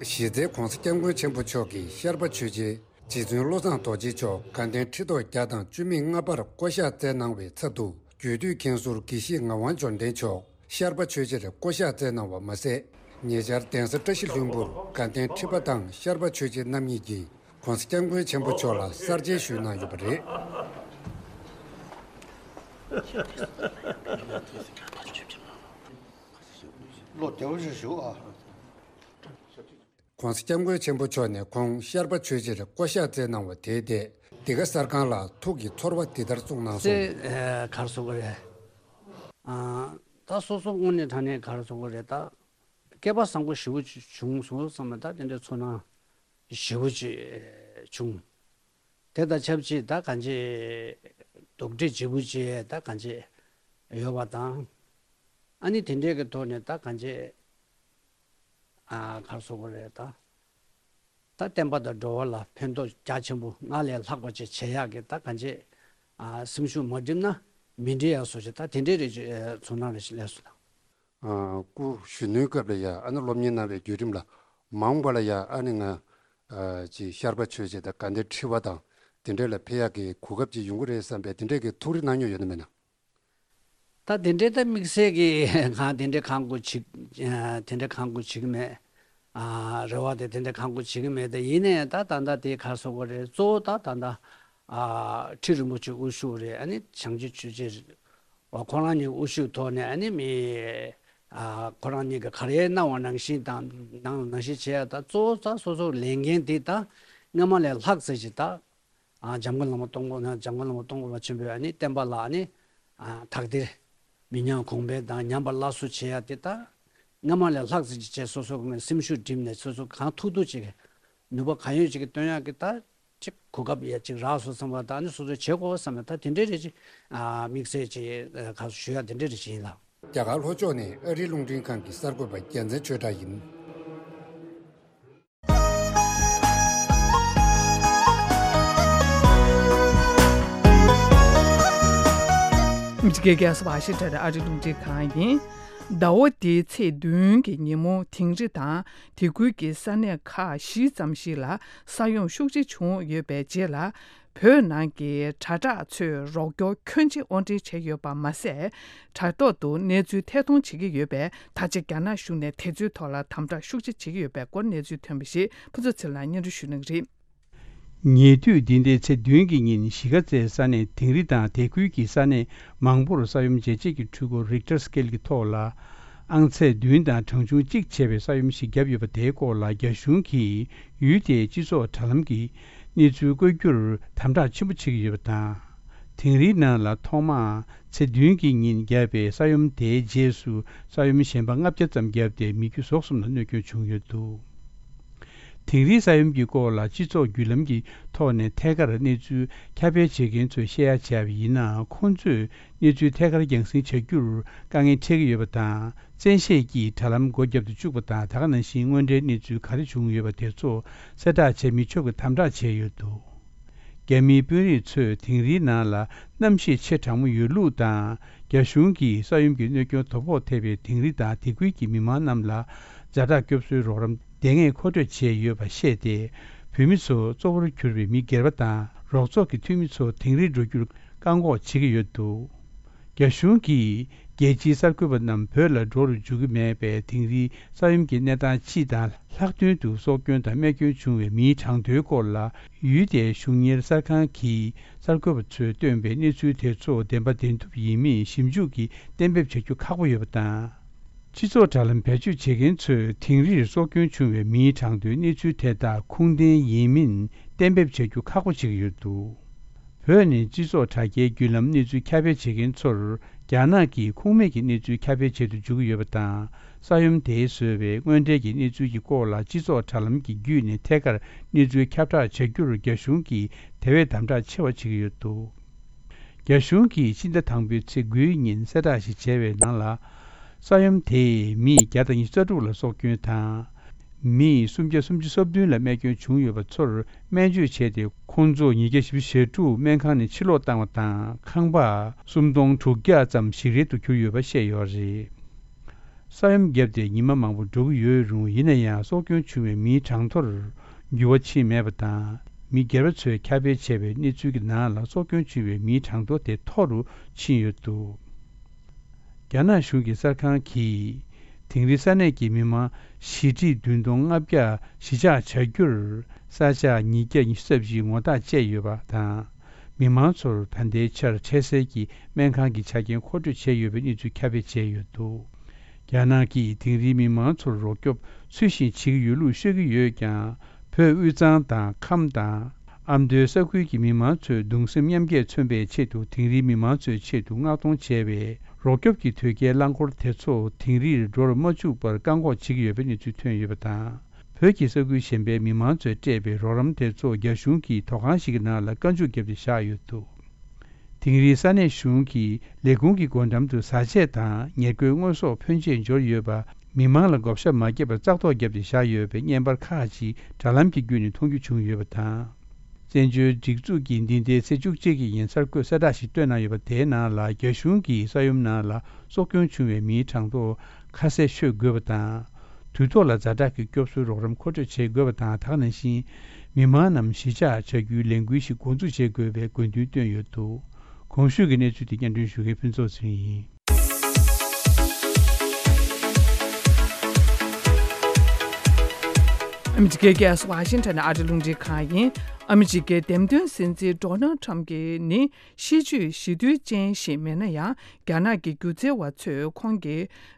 གཞི་རྩའི་༧གོང་ས་༧སྐྱབས་མགོན་ཆེན་པོ་མཆོག་གིས་ཤར་པ་ཆོས་རྗེ་རྗེ་བཙུན་བློ་བཟང་རྡོ་རྗེ་མཆོག་དགའ་ལྡན་ཁྲི་ཐོག་བརྒྱ་དང་བཅུ་མེད་ལྔ་པར་བསྐོ་གཞག་མཛད་གནང་བའི་ཚབ་ཏུ་རྒྱུད་སྟོད་མཁན་ཟུར་དགེ་བཤེས་ངག་དབང་འབྱོར་ལྡན་མཆོག་ཤར་པ་ཆོས་རྗེར་བསྐོ་གཞག་མཛད་གནང་བ་མ་ཟད། ཉེ་ཆར་གདན་ས་བཀྲ་ཤིས་ལྷུན་པོར་དགའ་ལྡན་ཁྲི་པ་དང་ཤར་པ་ཆོས་རྗེ་རྣམ་གཉིས་ཀྱིས་༧གོང་ས་༧སྐྱབས་མགོན་ཆེན་པོ་མཆོག་ལ་གསར་མཇལ་ཞུས་གནང་ཡོད་པ་རེད། ལོ་བདེ་པོ་ཞིག་བཞུགས་ཨ། ༧གོང་ས་༧སྐྱབས་མགོན་ཆེན་པོ་མཆོག་ནས་ཁོང་ཤར་པ་ཆོས་རྗེར་བསྐོ་གཞག་མཛད་གནང་བ་དེའི་ཐད་འདི་ག་གསར་ཁང་ལ་ཐུགས་ཀྱི་ཚོར་བ་འདི་ལྟར་གསུངས་གནང་སོང་། ཚེ་གར་སོང་གི་རེད། ཨ། ད་སོ་སོ་དངོས་གནས་དྲང་གནས་གར་སོང་གི་རེད་ད། སྐལ་པ་བཟང་པོ་ཞེ་པོ་ཅིག་བྱུང་སོང་བསམ་པ་ད་དེ་འདྲའི་ཚོར་སྣང་ཞེ་པོ་ཅིག་བྱུང་། དེ་དང་ཆབས་ཅིག་ད་གང་ཅི་དོགས་འདྲི་ལྗིད་པོ་ཅིག་ད་གང་ཅི་ཡོད་པ་དང་། ཨ་ནི་དེ་འདྲའི་གི་ཐོག་ནས་ད་གང་ཅི་ཨ་གར་སོང་གི་རེད་ད། ད་བསྟན་པ་དང་འགྲོ་བ་ལ་ཕན་ཐོགས་རྒྱ་ཆེན་པོ་སྔར་ལས་ལྷག་པ་ཅིག་བྱེད་ཡག་གི་ད་གང་ཅི་ཨ་སེམས་ཤུགས་མ་བསྒྲིམས་ན་མི་འགྲིག་ཡག་བཟོ་ཅིག་ད་དེ་འདྲའི་རེ་ཅིག་ཚོར་སྣང་རེ་ཞིག་སླེབས་སོང་ད། ཨ། སྐུ་གཞོན་ནུའི་སྐབས་ལ་ཡ་ཨ་ནི་སློབ་གཉེར་གནང་བའི་བརྒྱུད་རིམ་ལ་མ་འོངས་པ་ལ་ཡ་ཨ་ནི་ང་ཨ་ཅིག་ཤར་པ་ཆོས་རྗེ་དང་དགའ་ལྡན་ཁྲི་པ་དང་དེ་འདྲ་ལ་ཕེབས་ཡག་གི་གོ་སྐབས་ཅིག་ཡོང་གི་རེད་བསམ་པའི་དེ་འདྲའི་གི་ཐུགས་རེ་གནང་མྱོང་ཡོད་ན་མེད་ན། ད་དེ་འདྲའི་ད་དམིགས་བསལ་གྱི་གང་དེ་འདྲའི་གང་དགོས་བྱེད་དེ་འདྲའི་གང་དགོས་བྱེད་ཀྱི་མེད། རེ་བ་དེ་དེ་འདྲའི་གང་དགོས་བྱེད་ཀྱི་མེད། དེ་ཡིན་ནའི་ད་ད་ལྟ་དེ་ག་རེ་ཟེར་དགོས་རེད། གཙོ་བོ་ད་ད་ལྟ་ཁྲི་རིན་པོ་ཆེ་དབུ་བཞུགས་རེད། ཨ་ནི་བྱང་ཆུབ་ཆོས་རྗེ་རེད། ཁོ་རང་གཉིས་དབུ་བཞུགས་ཐོག་ནས་ཨ་ནི་མི་ཁོ་རང་གཉིས་ཀྱི་ག་རེ་གནང་བ་ནང་བཞིན་དང་ནང་ནང་བཞིན་བྱེད་ཡ། ད་གཙོ་བོ་ད་སོ་སོ་ལས་འགན་དེ་ད་སྔ་མ་ལས་ལྷག་ཙམ་ཞིག་ད་འཇམ་མགོན་བླ་མ་སྟོང་པོ་ན་འཇམ་མགོན་བླ་མ་སྟོང་པོ་པ་ཆེན་པོའི་ཨ་ནི་བསྟན་པ་ལ་ཨ་ནི་དག་ཐེར་མི་ཉམས་གོང་འཕེལ་དང་ཉམས་པ་སླར་གསོ་བྱེད་ཡ་དེ་ད་སྔ་མ་ལས་ལྷག་ཙམ་ཞིག་བྱས་སོ་སོ་གི་སེམས་ཤུགས་བསྒྲིམས་ནས་སོ་སོ་གང་ཐུབ་ཐུབ་ཅིག་ནུས་པ་གང་ཡོད་ཅིག་གིས་བཏོན་ཡག་གི་ད་ཅིག་གོ་སྐབས་ཡ་ཅིག་རག་སོང་བསམ་པ་དང་ནི་སོ་སོས་བྱེད་དགོས་བསམ་ན་ད་དེ་འདྲའི་རེ་ཅིག་དམིགས་བསལ་ཅིག་ག་ཞུ་ཡ་དེ་འདྲའི་རེ་ཅིག་ཡིན་ལགས། རྒྱ་གར་ལྷོ་ཕྱོགས་ནས་ཨ་རིའི་རླུང་འཕྲིན་ཁང་གི་གསར་འགོད་པ་རྒྱལ་མཚན་ཆོས་གྲགས་ཡིན། ཨ་མི་རི་ཀའི་རྒྱལ་ས་ཝ་ཤིང་ཊོན་ཨ་རིའི་རླུང་འཕྲིན་ཁང་ཡིན། ཟླ་བ་འདིའི་ཚེས་བདུན་གྱི་ཉིན་མོ་དིང་རི་དང་དེ་ཁུལ་གྱི་ས་གནས་ཁག་བཞི་ཙམ་ཞིག་ལ་ས་ཡོམ་ཤུགས་ཆེ་བྱུང་ཡོད་པའི་རྗེས་ལ། བོད་ནང་གི་དྲ་གྲགས་ཚོས་རོགས་སྐྱོར་ཁྱོན་ཆེ་དབོར་འདྲེན་བྱས་ཡོད་པ་མ་ཟད། དྲ་ཐོག་ཏུ་གནས་ཚུལ་ཐད་གཏོང་བྱེད་ཀྱི་ཡོད་པས། ད་ཆ་རྒྱ་ནག་གཞུང་ནས་དེ་ཚོའི་ཐོག་ལ་དམ་དྲག་ཤུགས་ཆེ་བྱེད་ཀྱི་ཡོད་པའི་སྐོར་གནས་ཚུལ་ཐོན་པ་ཞིག་ཕུན་ཚོགས་ཚེ་རིང་ལགས་སྙན་སྒྲོན་ཞུ་གནང་གི་རེད། ཉེ་དུས་འདི་ཟླའི་ཚེས་བདུན་གྱི་ཉིན་གཞིས་ཀ་རྩེའི་ས་གནས་དིང་རི་དང་དེ་ཁུལ་གྱི་ས་གནས་མང་པོར་ས་ཡོམ་འཇལ་བྱེད་ཀྱི་འཕྲུལ་འཁོར་རིག་ཊར་སི་ཀེལ་གྱི་ཐོག་ལ་ཨང་ཚད་བདུན་དང་གྲངས་ཆུང་གཅིག་བྱས་པའི་ས་ཡོམ་ཞིག་བརྒྱབ་ཡོད་པ་དེའི་སྐོར་ལ་རྒྱ་གཞུང་གིས་ཡུལ་དེའི་སྤྱི་ཚོགས་དྲ་ལམ་གྱི་གནས་ཚུལ་བཀོད་རྒྱུར་དམ་དྲག་ཆེན་པོ་བྱེད་ཀྱི་ཡོད་པ་དང་། དིང་རིའི་ནང་ལ་ཐོག་མར་ཚེས་བདུན་གྱི་ཉིན་བརྒྱབ་པའི་ས་ཡོམ་དེའི་རྗེས་སུ་ས་ཡོམ་གཞན་པ་ལྔ་བརྒྱ་ཙམ་བརྒྱབ་སྟེ་མི་རྒྱུ་ཟོག་གསུམ་ལ་གནོད་སྐྱོན་བྱུང་ཡོད་འདུག་དིང་རིའི་ས་ཡོམ་གྱི་སྐོར་ལ་སྤྱི་ཚོགས་བརྒྱུད་ལམ་གྱི་ཐོག་ནས་ཐད་ཀར་གནས་ཚུལ་ཁྱབ་སྤེལ་བྱེད་མཁན་ཚོས་བཤད་ཡ་བྱས་པ་ཡིན་ན། ཁོང་ཚོས་གནས་ཚུལ་ཐད་ཀར་རྒྱང་སྲིང་བྱ་རྒྱུར་དཀའ་ངལ་འཕྲད་ཀྱི་ཡོད་པ་དང་། བཙན་ཤེད་ཀྱིས་དྲ་ལམ་སྒོ་བརྒྱབ་ཏུ་བཅུག་པ་དང་། ད་ག་ནང་བཞིན་དངོས་འབྲེལ་གནས་ཚུལ་ག་རེ་བྱུང་ཡོད་པ་དེ་ཚོ་གསལ་བསྒྲགས་བྱེད་མི་ཆོག་པའི་དམ་དྲག་བྱས་ཡོད་འདུག་རྒྱ་མིའི་དཔོན་རིགས་ཚོས་དིང་རིའི་ནང་ལ་གནམ་གཤིས་ཆེས་གྲང་མོ་ཡོད་ལུགས་དང་། རྒྱ་གཞུང་གིས་ས་ཡོམ་གྱི་གནོད་སྐྱོན་དོ་ཕོག་ཐེབས་པའི་དིང་རི་དང་དེ་ཁུལ་གྱི་མི་མང་རྣམས་ལ་ཛ་དྲག་སྐྱོབ་གསོའི་རོགས་རམ་དེ་སྔས་མཁོ་སྤྲོད་བྱས་ཡོད་པ་བཤད་དེ། བོད་མི་ཚོ་གཙོ་བོར་གྱུར་པའི་མི་སྒེར་པ་དང་རོགས་ཚོགས་ཀྱི་འཐུས་མི་ཚོ་དིང་རིར་འགྲོ་རྒྱུར་བཀག་འགོག་བྱེད་ཀྱི་ཡོད་འདུག་རྒྱ་གཞུང་གིས་རྒྱལ་སྤྱིའི་གསར་འགོད་པ་རྣམས་བོད་ལ་འགྲོ་རུ་འཇུག་གི་མེད་པས། དིང་རིའི་ས་ཡོམ་གྱི་གནས་སྟངས་སྤྱི་དང་ལྷག་དོན་དུ་སྲོག་སྐྱོན་དང་རྨས་སྐྱོན་བྱུང་བའི་མིའི་གྲངས་ཐོའི་སྐོར་ལ་ཡུལ་དེའི་གཞུང་གཉེར་གསར་ཁང་གིས་གསར་འགོད་པ་ཚོས་བཏོན་པའི་གནས་ཚུལ་དེ་ཚོ་བདེན་པ་བདེན་ཐུབ་ཡིན་མིན་ཞིབ་འཇུག་གིས་གཏན་འབེབས་བྱ་རྒྱུ་ཁག་པོ་ཡོད་པ་དང་། སྤྱི་ཚོགས་དྲ་ལམ་བེད་སྤྱོད་བྱེད་མཁན་ཚོས་དིང་རིར་སྲོག་སྐྱོན་བྱུང་བའི་མིའི་གྲངས་ཐོའི་གནས་ཚུལ་དེ་དག་ཁུངས་ལྡན་ཡིན་མིན་གཏན་འབེབས་བྱ་རྒྱུ་ཁག་པོ་ཆགས་ཀྱི་ཡོད་འདུག་བོད་ནས་སྤྱི་ཚོགས་དྲ་རྒྱའི་བརྒྱུད་ལམ་གནས་ཚུལ་ཁྱབ་སྤེལ་བྱེད་མཁན་ཚོར་རྒྱ་ནག་གིས་ཁུངས་མེད་ཀྱི་གནས་ཚུལ་ཁྱབ་སྤེལ་བྱེད་དུ་འཇུག་གི་ཡོད་པ་དང་། ས་ཡོམ་དེས་བཟོས་པའི་དངོས་འབྲེལ་གྱི་གནས་ཚུལ་གྱི་སྐོར་ལ་སྤྱི་ཚོགས་དྲ་ལམ་གྱི་བརྒྱུད་ནས་ཐད་ཀར་གནས་ཚུལ་ཁྱབ་བསྒྲགས་བྱ་རྒྱུར་རྒྱ་གཞུང་གིས་དེ་བས་དམ་དྲག་ཆེ་བ་བྱེད་ཀྱི་ཡོད་འདུག་རྒྱ་གཞུང་གིས་ཕྱི་ཟླ་དང་པོའི་ཚེས་དགུའི་ཉིན་གསལ་བསྒྲགས་ཤིག་བྱས་པའི་ནང་ལ། ས་ཡོམ་དེས་མི་བརྒྱ་དང་ཉི་ཤུ་རྩ་དྲུག་ལ་སྲོག་སྐྱོན་དང་། མི་སུམ་བརྒྱ་སུམ་ཅུ་སོ་བདུན་ལ་རྨས་སྐྱོན་བྱུང་ཡོད་པ་ཚོར་སྨན་བཅོས་བྱས་ཏེ། ཁོང་ཚོ་ཉིས་བརྒྱ་བཞི་བཅུ་ཞེ་དྲུག་སྨན་ཁང་ནས་ཕྱིར་ལོག་བཏང་བ་དང་། ཁང་པ་སུམ་སྟོང་དྲུག་བརྒྱ་ཙམ་ཞིག་རལ་དུ་གྱུར་ཡོད་པ་བཤད་ཡོད་རེད། ས་ཡོམ་བརྒྱབ་སྟེ་ཉི་མ་མང་པོ་འགྲོ་གི་ཡོད་རུང་། ཡིན་ན་ཡང་སྲོག་སྐྱོན་བྱུང་བའི་མིའི་གྲངས་ཐོར་འགྱུར་བ་ཕྱིན་མེད་པ་དང་། མི་སྒེར་པ་ཚོས་ཁྱབ་སྤེལ་བྱས་པའི་གནས་ཚུལ་གྱི་ནང་ལ། སྲོག་སྐྱོན་བྱུང་བའི་མིའི་གྲངས་ཐོ་དེ་མཐོ་རུ་ཕྱིན་ཡོད་འདུག་རྒྱ་ནག་གཞུང་གི་གསར་ཁང་གིས་དིང་རི་ས་གནས་ཀྱི་མི་མང་བཞི་ཁྲི་བདུན་སྟོང་ལྔ་བརྒྱ་གཞིས་ཆགས་བྱ་རྒྱུར་ས་ཆ་ཉིས་བརྒྱ་ཉི་ཤུ་རྩ་བཞི་ངོ་རྟགས་བཅད་ཡོད་པ་དང་། མི་མང་ཚོར་ད་ལྟའི་ཆར་འཕྲལ་སེལ་གྱི་སྨན་ཁང་གི་ཆ་རྐྱེན་མཁོ་སྤྲོད་བྱས་ཡོད་པའི་གནས་ཚུལ་ཁྱབ་སྤེལ་བྱས་ཡོད་འདུག་རྒྱ་ནག་གིས་དིང་རིའི་མི་མང་ཚོར་རོགས་སྐྱོབ་ཚུལ་བཞིན་བྱེད་ཀྱི་ཡོད་ལུགས་ཤོད་ཀྱི་ཡོད་ཀྱང་། བོད་དབུས་གཙང་དང་ཁམས་དང་ཨ་མདོའི་ས་ཁུལ་གྱི་མི་མང་ཚོས་གདུང་སེམས་མཉམ་སྐྱེད་མཚོན་པའི་ཆེད་དུ། དིང་རིའི་མི་མང་ཚོའི་ཆེད་དུ་མངགས་གཏོང་བྱས་པའི་རོགས་སྐྱོབ་ཀྱི་དོས་སྐྱེལ་རླངས་འཁོར་དེ་ཚོ་དིང་རིར་འགྲོ་རུ་མ་བཅུག་པར་བཀག་འགོག་བྱེད་ཀྱི་ཡོད་པའི་གནས་ཚུལ་ཐོན་ཡོད་པ་དང་། བོད་ཀྱི་ས་ཁུལ་གཞན་པའི་མི་མང་ཚོས་སྤྲད་པའི་རོགས་རམ་དེ་ཚོ་རྒྱ་གཞུང་གིས་ཐོག་ཁང་ཞིག་གི་ནང་ལ་བཀའ་འཇུག་བརྒྱབ་སྟེ་བཞག་ཡོད་འདུག་དིང་རིའི་ས་གནས་གཞུང་གིས་ལས་ཁུངས་ཀྱི་སྒོ་འགྲམ་དུ་བཟའ་ཆས་དང་ཉེར་མཁོའི་དངོས་ཟོག་ཕོན་ཆེ་འབྱོར་ཡོད་པ། མི་མང་ལ་བགོ་བཤའ་མ་བརྒྱབ་པར་བཙག་འཐུ་བརྒྱབ་སྟེ་བཞག་ཡོད་པའི་བརྙན་པར་ཁག་ཅིག་དྲ་ལམ་གྱི་བརྒྱུད་ནས་མཐོང་རྒྱུ་བྱུང་ཡོད་པ་དང་། བཙན་བྱོལ་སྒྲིག་འཛུགས་ཀྱིས་འདི་ཟླའི་ཚེས་བཅུ་གཅིག་གི་ཉིན་གསར་འགོད་གསལ་བསྒྲགས་ཤིག་བཏོན་གནང་ཡོད་པ་དེའི་ནང་ལ། རྒྱ་གཞུང་གིས་ས་ཡོམ་ནང་ལ་སྲོག་སྐྱོན་བྱུང་བའི་མིའི་གྲངས་ཐོ་ཁ་གསལ་ཤོད་དགོས་པ་དང་། དུས་ཐོག་ལ་ཛ་དྲག་གི་སྐྱོབ་གསོའི་རོགས་རམ་མཁོ་སྤྲོད་བྱེད་དགོས་པ་དང་། ད་ག་ནང་བཞིན་མི་མང་རྣམས་གཞིས་ཆགས་བྱ་རྒྱུའི་ལས་འགུལ་ཞིག་འགོ་འཛུགས་བྱེད་དགོས་པའི་དགོས་འདུན་བཏོན་ཡོད་འདུག་གོང་ཞུས་ཀྱི་གནས་ཚུལ་དེ་སྙན་སྒྲོན་ཞུ་མཁན་ཕུན་ཚོགས་ཚེ་རིང་ཡིན། ཨ་མི་རི་ཀའི་རྒྱལ་ས་ཝ་ཤིང་ཊོན་ནས་ཨ་རི་རླུང་འཕྲིན་ཁང་ཡིན། ཨ་མི་རི་ཀའི་འདེམས་ཐོན་སྲིད་འཛིན་ཌོ་ནལ་ཊམ་གྱིས་ནི་གཤིས་སྤྱོད་ཞི་དུལ་ཅན་ཞིག་མིན་ན་ཡང་། རྒྱ་ནག་གི་སྒྱུ་རྩལ་བ་ཚོས་ཁོང་གི་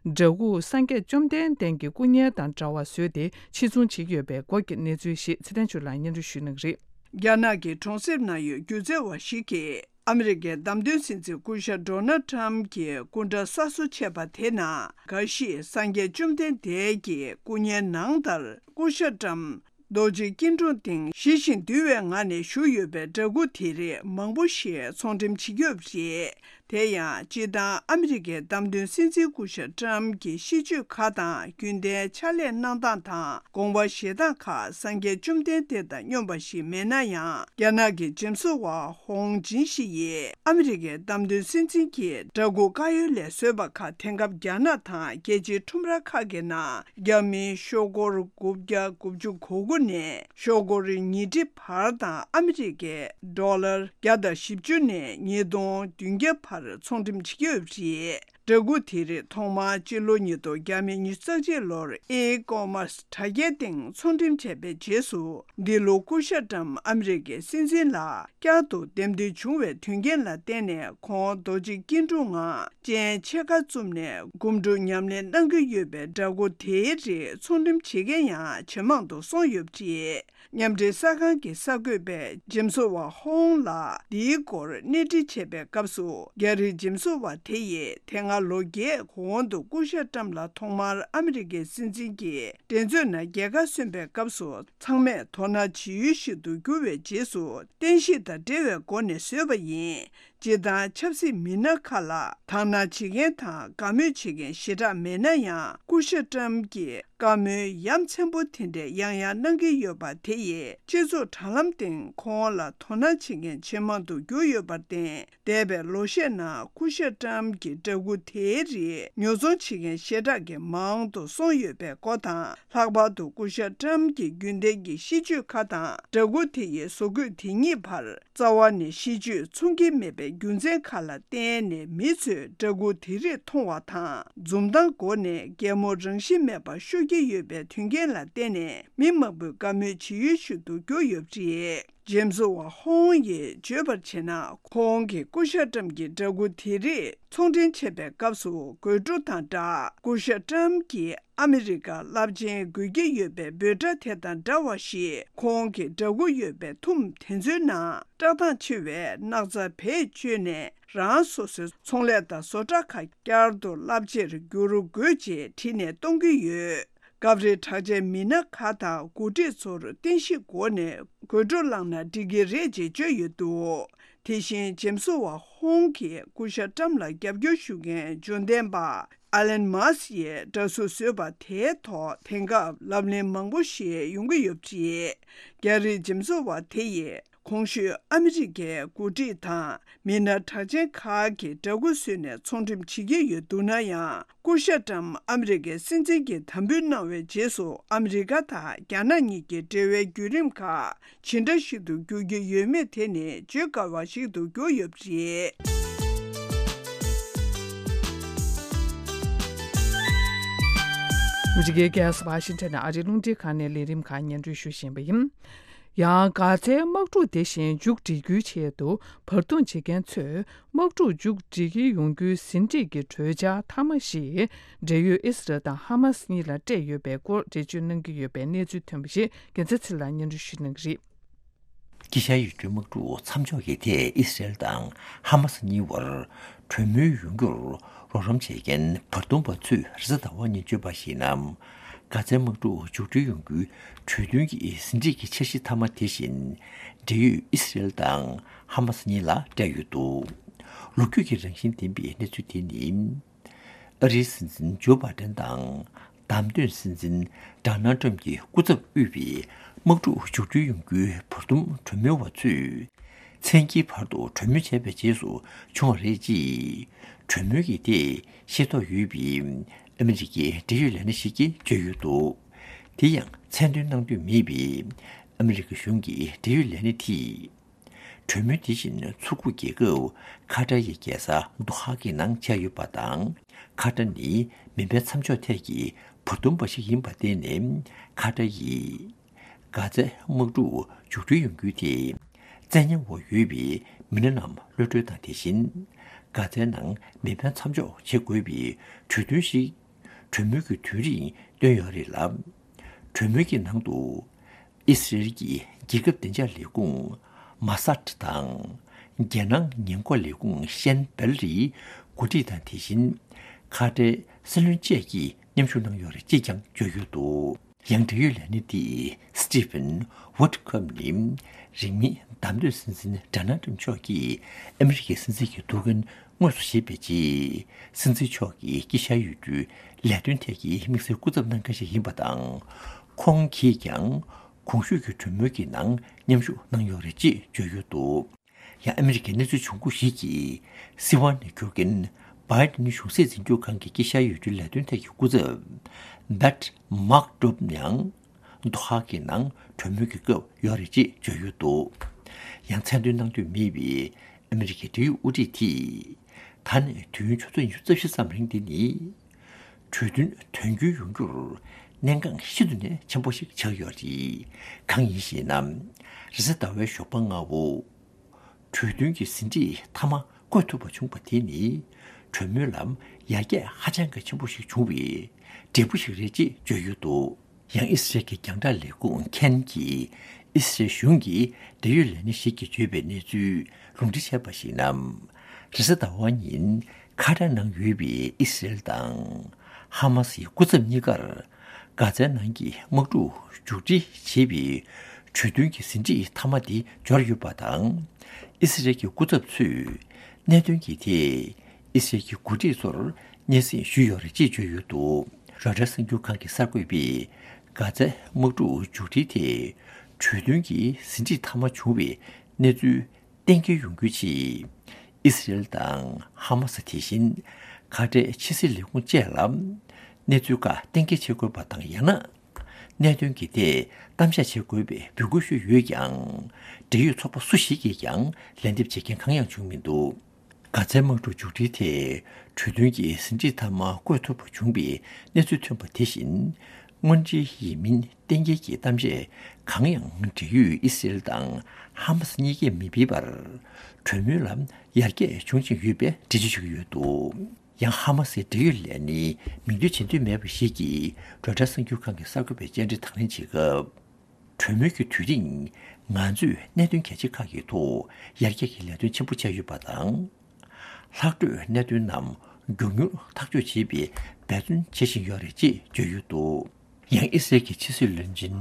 འདྲ་སྐུ་སངས་རྒྱས་བཅོམ་ལྡན་འདས་ཀྱི་སྐུ་བརྙན་དང་འདྲ་བ་བཟོས་ཏེ་ཕྱིར་ཚོང་བྱེད་ཀྱི་ཡོད་པའི་སྐོར་གྱི་གནས་ཚུལ་ཞིག་ཚེ་བརྟན་ཆོས་ལགས་སྙན་སྒྲོན་ཞུ་གནང་གི་རེད། རྒྱ་ནག་གི་གྲོང་གསེབ་ན་ཡོད་སྒྱུ་རྩལ་བ་ཞིག་གིས། ཨ་མི་རི་ཀའི་བདམས་ཐོན་སྲིད་འཛིན་སྐུ་ཞབས་ཌོ་ནལ་ཊམ་གྱི་སྐུ་འདྲ་གསར་བཟོ་བྱས་པ་དེ་ནང་འགའ་ཞིག་སངས་རྒྱས་བཅོམ་ལྡན་འདས་ཀྱི་སྐུ་བརྙན་ནང་ལྟར། སྐུ་ཞབས་ཊམ་རྡོ་རྗེ་སྐྱིལ་ཀྲུང་སྟེང་ཞི་ཞིང་དུལ་བའི་ངང་ནས་བཞུགས་ཡོད་པའི་འདྲ་སྐུ་དེ་རིགས་མང་པོ་ཞིག་ཚོང་འགྲེམས་བྱེད་ཀྱི་ཡོད་པ་རེད། དེ་ཡང་སྤྱིར་བཏང་ཨ་མི་རི་ཀའི་བདམས་ཐོན་སྲིད་འཛིན་སྐུ་ཞབས་ཊམ་གྱི་གཤིས་སྤྱོད་ཁག་དང་། རྒྱུན་ལྡན་ཕྱག་ལས་གནང་སྟངས་དང་། དགོངས་པ་བཞེས་སྟངས་ཁག་སངས་རྒྱས་བཅོམ་ལྡན་འདས་དང་སྙོམས་པ་ཞིག་མེད་ན་ཡང་། རྒྱ་ནག་གི་འཇིམ་བཟོ་བ་ཧོང་ཇིན་ཞི་ཡིས་ཨ་མི་རི་ཀའི་བདམས་ཐོན་སྲིད་འཛིན་གྱི་འདྲ་སྐུ་བཀའ་ཡོལ་ལས་བཟོས་པ་ཁག་དེང་སྐབས་རྒྱ་ནག་དང་རྒྱལ་སྤྱིའི་ཁྲོམ་ར་ཁག་གི་ནང་རྒྱ་མིའི་ཤོག་སྒོར་དགུ་བརྒྱ་དགུ་བཅུ་གོ་དགུ་ནས་ཤོག་སྒོར་ཉིས་ཁྲི་བར་དང་ཨ་མི་རི་ཀའི་ཌོ་ལར་བརྒྱ་དང་བཞི་བཅུ་ནས་ཉིས་སྟོང་བདུན་བརྒྱ་བར་ཚོང་འགྲེམས་བྱེད་ཀྱི་ཡོད་པ་རེད། འདྲ་སྐུ་དེ་རིགས་ཐོག་མར་སྤྱི་ལོ་ཉིས་སྟོང་ཉི་ཤུ་རྩ་གཅིག་ལོར་ཨི་ཀོ་མར་སི་དྲ་རྒྱའི་སྟེང་ཚོང་འགྲེམས་བྱས་པའི་རྗེས་སུ། འདི་ལོ་སྐུ་ཞབས་ཊམ་ཨ་མི་རི་ཀའི་སྲིད་འཛིན་ལ་བསྐྱར་དུ་འདེམས་ཐོན་བྱུང་བའི་དོན་རྐྱེན་ལ་བརྟེན་ནས། ཁོང་རྡོ་རྗེ་སྐྱིལ་ཀྲུང་ངང་སྤྱན་ཕྱེད་ཀ་བཙུམས་ནས་སྒོམ་སྒྲུབ་ཉམས་ལེན་གནང་གི་ཡོད་པའི་འདྲ་སྐུ་དེའི་རིགས་ཚོང་འགྲེམས་བྱེད་མཁན་ཡང་ཇེ་མང་དུ་སོང་ཡོད་པ་རེད། མཉམ་འབྲེལ་གསར་ཁང་གི་གསར་འགོད་པས་འཇིམ་བཟོ་བ་ཧོང་ལ་འདིའི་སྐོར་གནས་འདྲི་བྱས་པའི་སྐབས་སུ། རྒྱ་རིགས་འཇིམ་བཟོ་བ་དེ་ཡིས་དེ་སྔ་ལོ་བརྒྱད་གོང་དུ་སྐུ་ཞབས་ཊམ་ལ་ཐོག་མར་ཨ་མི་རི་ཀའི་སྲིད་འཛིན་གྱི་འགྲན་རྩོད་ནང་རྒྱལ་ཁ་སོན་པའི་སྐབས་སུ། ཚང་མས་དོ་སྣང་བྱེད་ཡུལ་ཞིག་ཏུ་གྱུར་བའི་རྗེས་སུ། བསྟན་བཤིག་དང་འབྲེལ་བའི་སྒོ་ནས་བཟོས་པ་ཡིན། སྤྱིར་བཏང་ཆབ་སྲིད་མི་སྣ་ཁག་ལ་དག་སྣང་བྱེད་མཁན་དང་དགའ་མོས་བྱེད་མཁན་ཞེ་དྲག་མེད་ན་ཡང་། སྐུ་ཞབས་ཊམ་གྱིས་བཀའ་མོལ་ཡ་མཚན་པོ་དེ་འདྲས་ཡང་ཡང་གནང་གི་ཡོད་པ་དེ་ཡིས། སྤྱི་ཚོགས་དྲ་ལམ་སྟེང་ཁོང་ལ་དོ་སྣང་བྱེད་མཁན་ཇེ་མང་དུ་གྱུར་ཡོད་པར་བརྟེན། འདས་པའི་ལོ་ཤས་ནང་སྐུ་ཞབས་ཊམ་གྱི་འདྲ་སྐུ་དེའི་རིགས་ཉོ་ཚོང་བྱེད་མཁན་ཞེ་དྲག་གིས་མང་དུ་སོང་ཡོད་པའི་སྐོར་དང་། ལྷག་པར་དུ་སྐུ་ཞབས་ཊམ་གྱི་རྒྱུན་ལྡན་གྱི་གཤིས་སྤྱོད་ཁག་དང་། འདྲ་སྐུ་དེ་ཡི་བཟོ་བཀོད་དེ་གཉིས་བར། རྩ་བ་ནས་གཤིས་སྤྱོད་མཚུངས་ཀྱི་མེད་པའི་རྒྱུ་མཚན་ཁག་ལ་བརྟེན་ནས། མི་ཚོས་འདྲ་སྐུ་དེ་རིགས་མཐོང་བ་དང་། འཛུམ་མདངས་སྒོ་ནས་གད་མོ་རང་བཞིན་མེད་པར་ཤོར་གྱི་ཡོད་པའི་དོན་རྐྱེན་ལ་བརྟེན་ནས། མི་མང་པོས་དགའ་མོས་བྱེད་ཡུལ་ཞིག་ཏུ་གྱུར་ཡོད་པ་རེད། འཇིམ་བཟོ་བ་ཧོང་ཡིས་བརྗོད་པར་བྱས་ན། ཁོང་གིས་སྐུ་ཞབས་ཊམ་གྱི་འདྲ་སྐུ་དེ་རིགས་ཚོང་འགྲེམས་བྱེད་པའི་སྐབས་སུ། དགོད་བྲོ་དང་སྦྲགས། སྐུ་ཞབས་ཊམ་གྱིས་ཨ་མི་རི་ཀ་རླབས་ཆེན་དགོས་ཀྱི་ཡོད་པའི་འབོད་སྒྲ་དེ་དང་འདྲ་བ་ཞིག་ཁོང་གི་འདྲ་སྐུ་ཡོད་པའི་ཐུམ་དེ་ཚོའི་ནང་བཀྲག་མདངས་ཆེ་བའི་སྣག་ཚ་བེད་སྤྱོད་ནས། རང་སོ་སོའི་ཚོང་ལས་དང་བཟོ་གྲྭ་ཁག་བསྐྱར་དུ་རླབས་ཆེར་འགྱུར་དགོས་ཅེས་བྲིས་ནས་གཏོང་གི་ཡོད། སྐབས་རེ་གྲགས་ཅན་མི་སྣ་ཁག་དང་འགོ་ཁྲིད་ཚོར་བསྟན་བཤིག་སྒོ་ནས་དགོད་བྲོ་བསླངས་ན་འགྲིག་གི་རེད་ཅེས་བརྗོད་ཡོད་འདུག་དེ་བཞིན་འཇིམ་བཟོ་བ་ཧོང་གིས་སྐུ་ཞབས་ཊམ་ལ་རྒྱབ་སྐྱོར་ཞུ་མཁན་འབྱོར་ལྡན་པ། ཨ་ལན་མཱ་སི་ཡིས་འདྲ་གཟུགས་བཟོས་པ་དེའི་ཐོག་དེང་སྐབས་ལབ་གླེང་མང་པོ་ཞིག་ཡོང་གི་ཡོད་པ་རེད། རྒྱ་རིགས་འཇིམ་བཟོ་བ་དེ་ཡིས་གོང་ཞུས་ཨ་མི་རི་ཀའི་འགོ་ཁྲིད་དང་མི་སྣ་གྲགས་ཅན་ཁག་གི་འདྲ་སྐུ་བཟོས་ནས་ཚོང་འགྲེམས་བྱེད་ཀྱི་ཡོད་འདུག་ན་ཡང་། སྐུ་ཞབས་ཊམ་ཨ་མི་རི་ཀའི་སྲིད་འཛིན་གྱི་དམ་འབུལ་གནང་བའི་རྗེས་སུ། ཨ་མི་རི་ཀ་དང་རྒྱ་ནག་གཉིས་ཀྱི་འབྲེལ་བའི་བརྒྱུད་རིམ་ཁག་ཇི་འདྲ་ཞིག་ཏུ་འགྱུར་གྱི་ཡོད་མེད་དེ་ནི་བརྗོད་དཀའ་བ་ཞིག་ཏུ་གྱུར་ཡོད་པ་རེད། ཨ་མི་རི་ཀའི་རྒྱལ་ས་ཝ་ཤིང་ཊོན་ནས་ཨ་རིའི་རླུང་འཕྲིན་ཁང་ནས་ལས་རིམ་ཁག་སྙན་སྒྲོན་ཞུ་བཞིན་པ་ཡིན། ཡང་། གྷ་ཛའི་དམག་འཁྲུག་དེ་བཞིན་མཇུག་སྒྲིལ་རྒྱུའི་ཆེད་དུ་བར་འདུམ་བྱེད་མཁན་ཚོས། དམག་འཁྲུག་མཇུག་སྒྲིལ་གྱི་ཡོང་རྒྱུའི་ཟིན་བྲིས་ཀྱི་གྲོས་འཆར་མཐའ་མ་ཞིག་འབྲེལ་ཡོད་ཨི་སི་རལ་དང་ཧ་མ་སི་གཉིས་ལ་སྤྲད་ཡོད་པའི་སྐོར་འགྲེལ་བརྗོད་གནང་གི་ཡོད་པའི་གནས་ཚུལ་ཐོན་པ་ཞིག་རྒྱལ་མཚན་ཚེ་ལགས་སྙན་སྒྲོན་ཞུ་གནང་གི་རེད། དཀྱིལ་ཤར་ཡུལ་གྲུའི་དམག་འཁྲུག་མཚམས་འཇོག་གི་ཐད་ཨི་སི་རལ་དང་ཧ་མ་སི་གཉིས་བར་གྲོས་མོལ་ཡོང་རྒྱུར་རོགས་རམ་བྱེད་མཁན་བར་འདུམ་པ་ཚོས་རེས་གཟའ་ཟླ་བ་ཉིན་བརྗོད་པར་གཞིགས་ན། གྷ་ཛའི་དམག་འཁྲུག་མཇུག་སྒྲིལ་ཡོང་རྒྱུའི་གྲོས་མཐུན་གྱི་ཟིན་བྲིས་ཀྱི་འཆར་གཞི་མཐའ་མ་དེ་བཞིན་འབྲེལ་ཡོད་ཨི་སི་རལ་དང་ཧ་མ་སི་གཉིས་ལ་སྤྲད་ཡོད་འདུག་ལོ་རྒྱུས་ཀྱི་རང་བཞིན་ལྡན་པའི་གནས་ཚུལ་དེ་ནི། ཨ་རིའི་སྲིད་འཛིན་ཇོ་བྷ་ཏན་དང་བདམས་ཐོན་སྲིད་འཛིན་ཌོ་ནལ་ཏྲམ་གྱི་སྐུ་ཚབ་དབུས་པའི་དམག་འཁྲུག་མཇུག་སྒྲིལ་ཡོང་རྒྱུའི་བར་འདུམ་གྲོས་མོལ་བ་ཚོས། མཚན་དཀྱིལ་བར་དུ་གྲོས་མོལ་བྱས་པའི་རྗེས་སུ་བྱུང་བ་རེད་ཅེས། གྲོས་མོལ་གྱི་ཐད་ཤེས་རྟོགས་ཡོད་པའི་ཨ་མི་རི་ཀའི་འབྲེལ་ཡོད་ལས་སྣེ་ཞིག་གིས་བརྗོད་ཡོད་འདུག་དེ་ཡང་མཚན་འདོན་གནང་འདོད་མེད་པའི་ཨ་མི་རི་ཀ་གཞུང་གི་འབྲེལ་ཡོད་ལས་སྣེ་དེས། གྲོས་མོལ་དེ་བཞིན་མཚོ་ཁུག་རྒྱལ་ཁབ་ཁ་ཏར་ཡི་རྒྱལ་ས་དོ་ཧ་གི་ནང་བྱས་ཡོད་པ་དང་། ཁ་ཏར་ནི་མེ་འཕེན་མཚམས་འཇོག་ཐད་ཀྱི་བར་འདུམ་པ་ཞིག་ཡིན་པར་བརྟེན་ནས། ཁ་ཏར་ཡིས་ གྷ་ཛའི་དམག་འཁྲུག་མཇུག་སྒྲིལ་ཡོང་རྒྱུའི་ཐད། བཙན་ཉར་འོག་ཡོད་པའི་མི་སྣ་རྣམས་གློད་གྲོལ་དང་དེ་བཞིན། གྷ་ཛའི་ནང་མེ་འཕེན་མཚམས་འཇོག་བྱེད་དགོས་པའི་གྲོས་མཐུན་ཞིག་གྲོས་མོལ་གྱི་དུས་རིང་བཏོན་ཡོད་རེད་ལ། གྲོས་མོལ་གྱི་ནང་དུ། ཨི་སི་རེལ་གྱི་རྒྱལ་ཁབ་བདེ་འཇགས་ལས་ཁུངས་མ་སཱད་དང་། རྒྱལ་ནང་ཉེན་འགོག་ལས་ཁུངས་ཤན་བེལ་རིའི་འགོ་ཁྲིད་དང་དེ་བཞིན། ཁ་བྲལ་སྲིད་བློན་བཅས་ཀྱིས་མཉམ་ཞུགས་གནང་ཡོད་རེད་ཅེས་ཀྱང་བརྗོད་ཡོད་འདུག་ཡང་འབྲེལ་ཡོད་ལས་སྣེ་དེས་Stephen Woodcomb ནི་རིང་མིན་བདམས་ཐོན་སྲིད་འཛིན་ཌོ་ནལ་ཊམ་མཆོག་གིས་ཨ་མི་རི་ཀའི་སྲིད་འཛིན་གྱི་ཐུགས་འགན་དངོས་སུ་བཞེས་པའི་རྗེས། སྲིད་འཛིན་མཆོག་གི་དཀྱིལ་ཤར་ཡུལ་གྲུའི་ལས་དོན་ཐད་ཀྱི་དམིགས་བསལ་སྐུ་ཚབ་གནང་མཁན་ཞིག་ཡིན་པ་དང་། ཁོང་གིས་ཀྱང་གོང་ཞུས་ཀྱི་གྲོས་མོལ་གྱི་ནང་མཉམ་ཞུགས་གནང་ཡོད་རེད་ཅེས་བརྗོད་ཡོད་འདུག་ཡང་ཨ་མི་རི་ཀའི་གནས་ཚུལ་བྱུང་ཁུངས་ཤིག་གིས་སྲིད་དབང་ནས་འཁྱུར་མཁན་བྷའི་ཌེན་གཞུང་སྲིད་འཛིན་སྐྱོང་ཁང་གི་དཀྱིལ་ཤར་ཡུལ་གྲུའི་ལས་དོན་ཐད་ཀྱི་སྐུ་ཚབ་Pat Murdoch ཡང་དོ་ཧ་གི་ནང་གྲོས་མོལ་གྱི་སྐབས་ཡོད་རེད་ཅེས་བརྗོད་ཡོད་འདུག་ཡང་མཚན་འདོན་གནང་འདོད་མེད་པའི་ཨ་མི་རི་ཀའི་འབྲེལ་ཡོད་དབུ་ཁྲིད་དེས། ད་ནས་དུས་ཡུན་ཆུ་ཚོད་ཉི་ཤུ་རྩ་བཞི་ཙམ་རིང་འདི་ནི། གྲོས་མཐུན་དོན་འཁྱོལ་ཡོང་རྒྱུར་གནད་འགག་ཤིན་ཏུ་ནས་ཆེན་པོ་ཞིག་ཆགས་ཡོད་རེད། གང་ཡིན་ཞེ་ན། རེས་གཟའ་ཟླ་བའི་ཞོགས་པ་སྔ་པོ། གྲོས་མཐུན་གྱི་ཟིན་བྲིས་མཐའ་མ་བཀོད་ཐུབ་པ་བྱུང་བ་དེ་ནི། གྲོས་མོལ་ལམ་ཡར་རྒྱས་ཧ་ཅང་གི་ཆེན་པོ་ཞིག་བྱུང་བའི་འབྲས་བུ་ཞིག་རེད་ཅེས་བརྗོད་ཡོད་འདུག་ཡང་ཨི་སི་རལ་གྱི་རྒྱང་བསྒྲགས་ལས་ཁུངས་ཁེན་གྱིས་ཨི་སི་རལ་གཞུང་གི་འབྲེལ་ཡོད་ལས་སྣེ་ཞིག་གིས་བརྗོད་པའི་གནས་ཚུལ་ལུང་འདྲེན་བྱས་པར་གཞིགས་ན། རེས་གཟའ་ཟླ་བ་ཉིན་ཁ་ཏར་ནང་ཡོད་པའི་ཨི་སི་རལ་དང་ཧ་མ་སིའི་སྐུ་ཚབ་གཉིས་ཀར་གྷ་ཛའི་ནང་གི་དམག་འཁྲུག་མཇུག་སྒྲིལ་བྱེད་པའི་གྲོས་མཐུན་གྱི་ཟིན་བྲིས་མཐའ་མ་དེ་འབྱོར་ཡོད་པ་དང་། ཨི་སི་རལ་གྱི་སྐུ་ཚབ་ཚོས་གནད་དོན་གྱི་ཐད། ཨི་སི་རལ་གྱི་འགོ་ཁྲིད་ཚོར་སྙན་སེང་ཞུས་ཡོད་རེད་ཅེས་བརྗོད་ཡོད་འདུག་རོའི་ཊར་གསར་འགྱུར་ཁང་གི་གསར་འགོད་པས་གྷ་ཛའི་དམག་འཁྲུག་མཇུག་སྒྲིལ་དེ་གྲོས་མཐུན་གྱི་ཟིན་བྲིས་མཐའ་མ་བྱུང་བའི་གནས་ཚུལ་གཏན་འཁེལ་ཡོང་རྒྱུའི་ཆེད། ཨི་སི་རལ་དང་ཧ་མ་སི་དེ་བཞིན་ཁ་བྲལ་ཕྱི་སྲིད་ལས་ཁུངས་བཅས་ལ་གནས་ཚུལ་ཁག་གཏན་འཁེལ་བྱེད་དགོས་པ་དང་། ཡང་ན། གནད་དོན་གྱི་ཐད་གཏམ་བཤད་བྱེད་དགོས་པའི་འབོད་སྐུལ་ཞུས་ཡོད་ཀྱང་། འབྲེལ་ཡོད་ཚོགས་པ་སུ་ཞིག་གིས་ཀྱང་ལན་འདེབས་བྱེད་མཁན་གང་ཡང་བྱུང་མི་འདུག་གྷ་ཛའི་དམག་འཁྲུག་མཇུག་སྒྲིལ་ཐད་གྲོས་མཐུན་གྱི་ཟིན་བྲིས་མཐའ་མ་བཀོད་ཐུབ་པ་བྱུང་བའི་གནས་ཚུལ་ཐོན་པ་དེ་བཞིན། དངོས་འབྲེལ་ཡིན་མིན་གཏན་འཁེལ་གྱི་གཏམ་བཤད་གང་ཡང་འབྲེལ་ཡོད་ཨི་སི་རལ་དང་ཧ་མ་སི་གཉིས་ཀས་མི་ཕུལ་བར། གྲོས་མོལ་ལ་ཡར་རྒྱས་བྱུང་བཞིན་ཡོད་པའི་འགྲེལ་བརྗོད་བྱེད་ཀྱི་ཡོད་འདུག་ཡང་ཧ་མ་སིའི་འབྲེལ་ཡོད་ལས་སྣེའི་མིང་འདོན་བྱེད་འདོད་མེད་པ་ཞིག་གིས་རོའི་ཊར་གསར་འགྱུར་ཁང་གི་གསར་འགོད་པའི་བཅར་འདྲི་དང་ལེན་བྱེད་སྐབས། གྲོས་མོལ་གྱི་དུས་རིང་ང་ཚོས་གནད་དོན་གལ་ཆེ་ཁག་གི་ཐོག་ཡར་རྒྱས་ཀྱི་ལས་དོན་ཆེན་པོ་བྱས་ཡོད་པ་དང་། ལྷག་འཕྲོས་གནད་དོན་རྣམས་མགྱོགས་མྱུར་ཐག་གཅོད་བྱེད་པའི་འབད་བརྩོན་བྱེད་བཞིན་ཡོད་རེད་ཅེས་བརྗོད་ཡོད་འདུག་ཡང་ཨི་སི་རལ་གྱི་ཕྱི་སྲིད་བློན་ཆེན་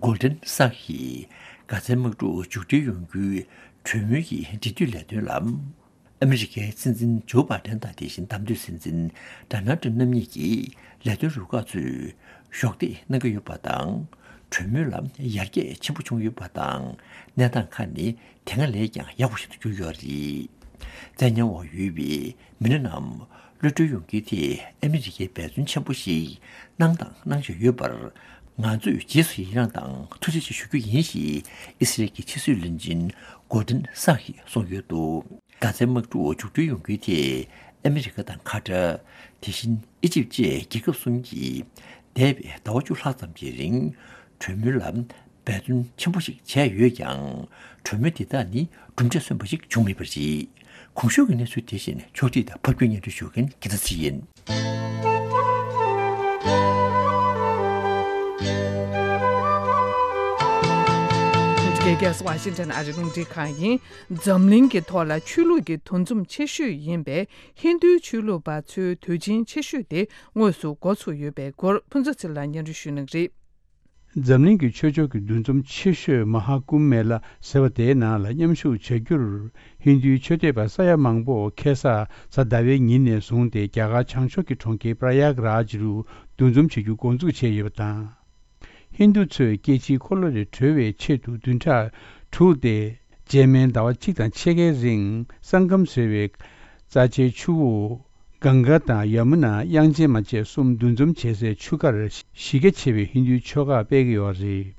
གོལ་ཌན་སཱ་ཧིས་གྷ་ཛའི་དམག་འཁྲུག་མཇུག་སྒྲིལ་ཡོང་རྒྱུའི་གྲོས་མོལ་གྱི་འབྲེལ་མཐུད་ལས་དོན་ལ། ཨ་མི་རི་ཀའི་སྲིད་འཛིན་ཇོ་བྷའི་ཌེན་དང་དེ་བཞིན་བདམས་ཐོན་སྲིད་འཛིན་ཌོ་ནལ་ཊམ་རྣམ་གཉིས་ཀྱིས་ལས་དོན་རུ་ཁག་ཚོས་གཞོགས་འདེགས་གནང་གི་ཡོད་པ་དང་། གྲོས་མོལ་ལ་ཡར་རྒྱས་ཆེན་པོ་བྱུང་ཡོད་པ་དང་། གནས་སྟངས་ཁག་ནི་དེ་སྔ་ལས་ཀྱང་ཡག་པོ་ཞིག་ཏུ་གྱུར་ཡོད་རེད། བཙན་ཉར་འོག་ཡོད་པའི་མི་སྣ་རྣམས་གློད་གྲོལ་ཡོང་རྒྱུའི་ཐད་ཨ་མི་རི་ཀས་འབད་བརྩོན་ཆེན་པོ་ཞིག་གནང་དང་གནང་བཞིན་ཡོད་པར། ང་ཚོས་རྗེས་སུ་ཡི་རངས་དང་ཐུགས་རྗེ་ཆེ་ཞུ་རྒྱུ་ཡིན་ཞེས་ཨི་སི་རལ་གྱི་ཕྱི་སྲིད་བློན་ཆེན་གོ་ཌན་སཱ་ཧིས་གསུངས་ཡོད་འདུག་གྷ་ཛའི་དམག་འཁྲུག་མཇུག་སྒྲིལ་ཡོང་རྒྱུའི་ཐད་ཨ་མི་རི་ཀ་དང་ཁ་ཏར། དེ་བཞིན་ཨི་ཇིབ་བཅས་རྒྱལ་ཁབ་གསུམ་གྱིས་འདས་པའི་ཟླ་བ་བཅུ་ལྷག་ཙམ་གྱི་རིང་གྲོས་མོལ་ལ་འབད་བརྩོན་ཆེན་པོ་ཞིག་བྱས་ཡོད་ཀྱང་། གྲོས་མོལ་དེ་དག་ནི་གྲུབ་འབྲས་སོན་པ་ཞིག་བྱུང་མེད་པ་རེད། གོང་ཞུས་ཀྱི་གནས་ཚུལ་དེ་བཞིན་ཕྱོགས་སྒྲིག་དང་ཕབ་སྒྱུར་སྙན་སྒྲོན་ཞུ་མཁན་དགེ་རྩ་ཚེ་རིང་ཡིན། ཨ་མི་རི་ཀའི་རྒྱལ་ས་ཝ་ཤིང་ཊོན་ཨ་རིའི་རླུང་འཕྲིན་ཁང་ཡིན། འཛམ་གླིང་གི་ཐོག་ལ་ཆོས་ལུགས་ཀྱི་འདུ་འཛོམས་ཆེ་ཤོས་ཡིན་པའི་ཧིན་རྡུའི་ཆོས་ལུགས་པ་ཚོའི་དུས་ཆེན་ཆེ་ཤོས་དེ་དངོས་སུ་འགོ་ཚུགས་ཡོད་པའི་སྐོར་ཕུན་ཚོགས་ཚེ་རིང་ལགས་སྙན་སྒྲོན་ཞུ་གནང་གི་རེད། འཛམ་གླིང་གི་ཆོས་ཕྱོགས་ཀྱི་འདུ་འཛོམས་ཆེ་ཤོས་མ་ཧཱ་ཀུམ་མེ་ལ་ཟེར་བ་དེའི་ནང་ལ་མཉམ་ཞུགས་བྱ་རྒྱུར། ཧིན་རྡུའི་ཆོས་དད་པ་ས་ཡ་མང་པོ་ཁ་སང་གཟའ་ཟླ་བའི་ཉིན་ནས་བཟུང་སྟེ་རྒྱ་གར་བྱང་ཕྱོགས་ཀྱི་གྲོང་ཁྱེར་པྲ་ཡཱག་རཱཇ་རུ་འདུ་འཛོམས་བྱེད་རྒྱུ་འགོ་འཛུགས་བྱས་ཡོད་པ་དང་། ཧིན་རྡུ་ཚོས་སྐྱེ་འཆིའི་འཁོར་ལོ་ལས་གྲོལ་བའི་ཆེད་དུ་བདུན་ཕྲག་དྲུག་སྟེ། རྗེས་མའི་ཟླ་བ་གཅིག་དང་ཕྱེད་ཀའི་རིང་སང་ཀམ་ཟེར་བའི་རྩ་ཆེའི་ཆུ་བོ་གངྒཱ་དང་ཡ་མུ་ན། དབྱངས་ཅན་མ་བཅས་གསུམ་འདུ་འཛོམས་བྱེད་སའི་ཆུ་ཁར་གཞི་རྒྱ་ཆེ་བའི་ཧིན་རྡུའི་ཆོ་ག་སྤེལ་གྱི་ཡོད་རེད།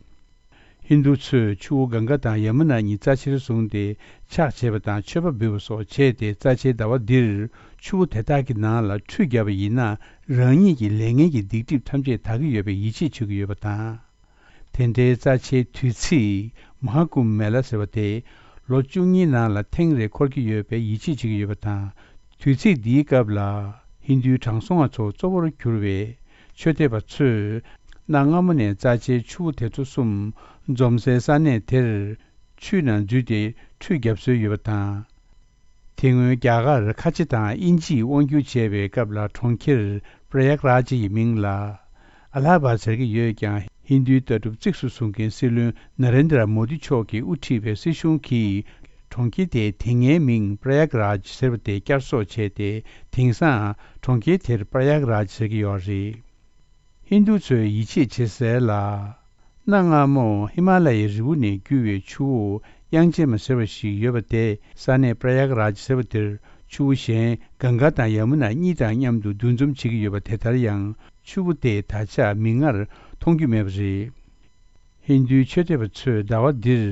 ཧིན་རྡུ་ཚོས་ཆུ་བོ་གངྒཱ་དང་ཡ་མུ་ན་གཉིས་རྩ་ཆེར་བཟུང་སྟེ་ཕྱག་བྱེད་པ་དང་མཆོད་པ་འབུལ་བ་སོགས་བྱས་ཏེ། རྩ་ཆེའི་ཟླ་བ་འདིར་ཆུ་བོ་དེ་དག་གི་ནང་ལ་ཁྲུས་བརྒྱབ་པ་ཡིན་ན་རང་ཉིད་ཀྱི་ལས་ངན་གྱི་སྡིག་སྒྲིབ་ཐམས་ཅད་དག་གི་ཡོད་པའི་ཡིད་ཆེས་བྱེད་ཀྱི་ཡོད་པ་དང་། དེ་འདྲའི་རྩ་ཆེའི་དུས་ཚིགས་མ་ཧཱ་ཀུམ་མེ་ལ་ཟེར་བ་དེ་ལོ་བཅུ་གཉིས་ནང་ལ་ཐེངས་རེ་འཁོར་གྱི་ཡོད་པའི་ཡིད་ཆེས་བྱེད་ཀྱི་ཡོད་པ་དང་། དུས་ཚིགས་འདིའི་སྐབས་ལ་ཧིན་རྡུའི་དྲང་སྲོང་བ་ཚོ་གཙོ་བོར་གྱུར་བའི་ཆོས་དད་པ་ཚོས་གནའ་སྔ་མོ་ནས་རྩ་ཆེའི་ཆུ་བོ་དེ་ཚོ་གསུམ་འཛོམས་སའི་ས་གནས་དེར་ཆུའི་ནང་འཛུལ་ཏེ་ཁྲུས་བརྒྱབ་སྲོལ་ཡོད་པ་དང་། དེ་སྔོན་རྒྱ་གར་ཁ་ཆེ་དང་དབྱིན་ཇིས་དབང་བསྒྱུར་བྱས་པའི་སྐབས་ལ་གྲོང་ཁྱེར་པྲ་ཡཱཀ་རཱཇ་ཡི་མིང་ལ་ཨ་ལ་ཧ་བཱད་ཟེར་གྱི་ཡོད་ཀྱང་། ཧིན་རྡུའི་ལྟ་གྲུབ་གཙིགས་སུ་བཟུང་མཁན་སྲིད་བློན་ན་རེན་དྲ་མོ་དི་མཆོག་གིས་དབུ་ཁྲིད་པའི་སྲིད་གཞུང་གིས་གྲོང་ཁྱེར་དེའི་དེ་སྔའི་མིང་པྲ་ཡཱཀ་རཱཇ་ཟེར་བ་དེ་བསྐྱར་གསོ་བྱས་ཏེ། དེང་སང་གྲོང་ཁྱེར་དེར་པྲ་ཡཱཀ་རཱཇ་ཟེར་གྱི་ཡོད་རེད། ཧིན་རྡུ་ཚོས་ཡིད་ཆེས་བྱེད་སའི་ལ། གནའ་སྔ་མོ་ཧི་མ་ལ་ཡའི་རི་བོ་ནས་རྒྱུ་བའི་ཆུ་བོ་དབྱངས་ཅན་མ་ཟེར་བ་ཞིག་ཡོད་པ་དེ། ས་གནས་པྲ་ཡཱཀ་རཱཇ་ཟེར་བ་དེར་ཆུ་བོ་གཞན་གངྒཱ་དང་ཡ་མུ་ན་གཉིས་དང་མཉམ་དུ་འདུ་འཛོམས་བྱེད་ཀྱི་ཡོད་པ་དེ་ལྟར་ཡང་ཆུ་བོ་དེ་ད་ཆ་མིག་སྔར་མཐོང་རྒྱུ་མེད་པ་རེད། ཧིན་རྡུའི་ཆོས་དད་པ་ཚོས་ཟླ་བ་འདིར་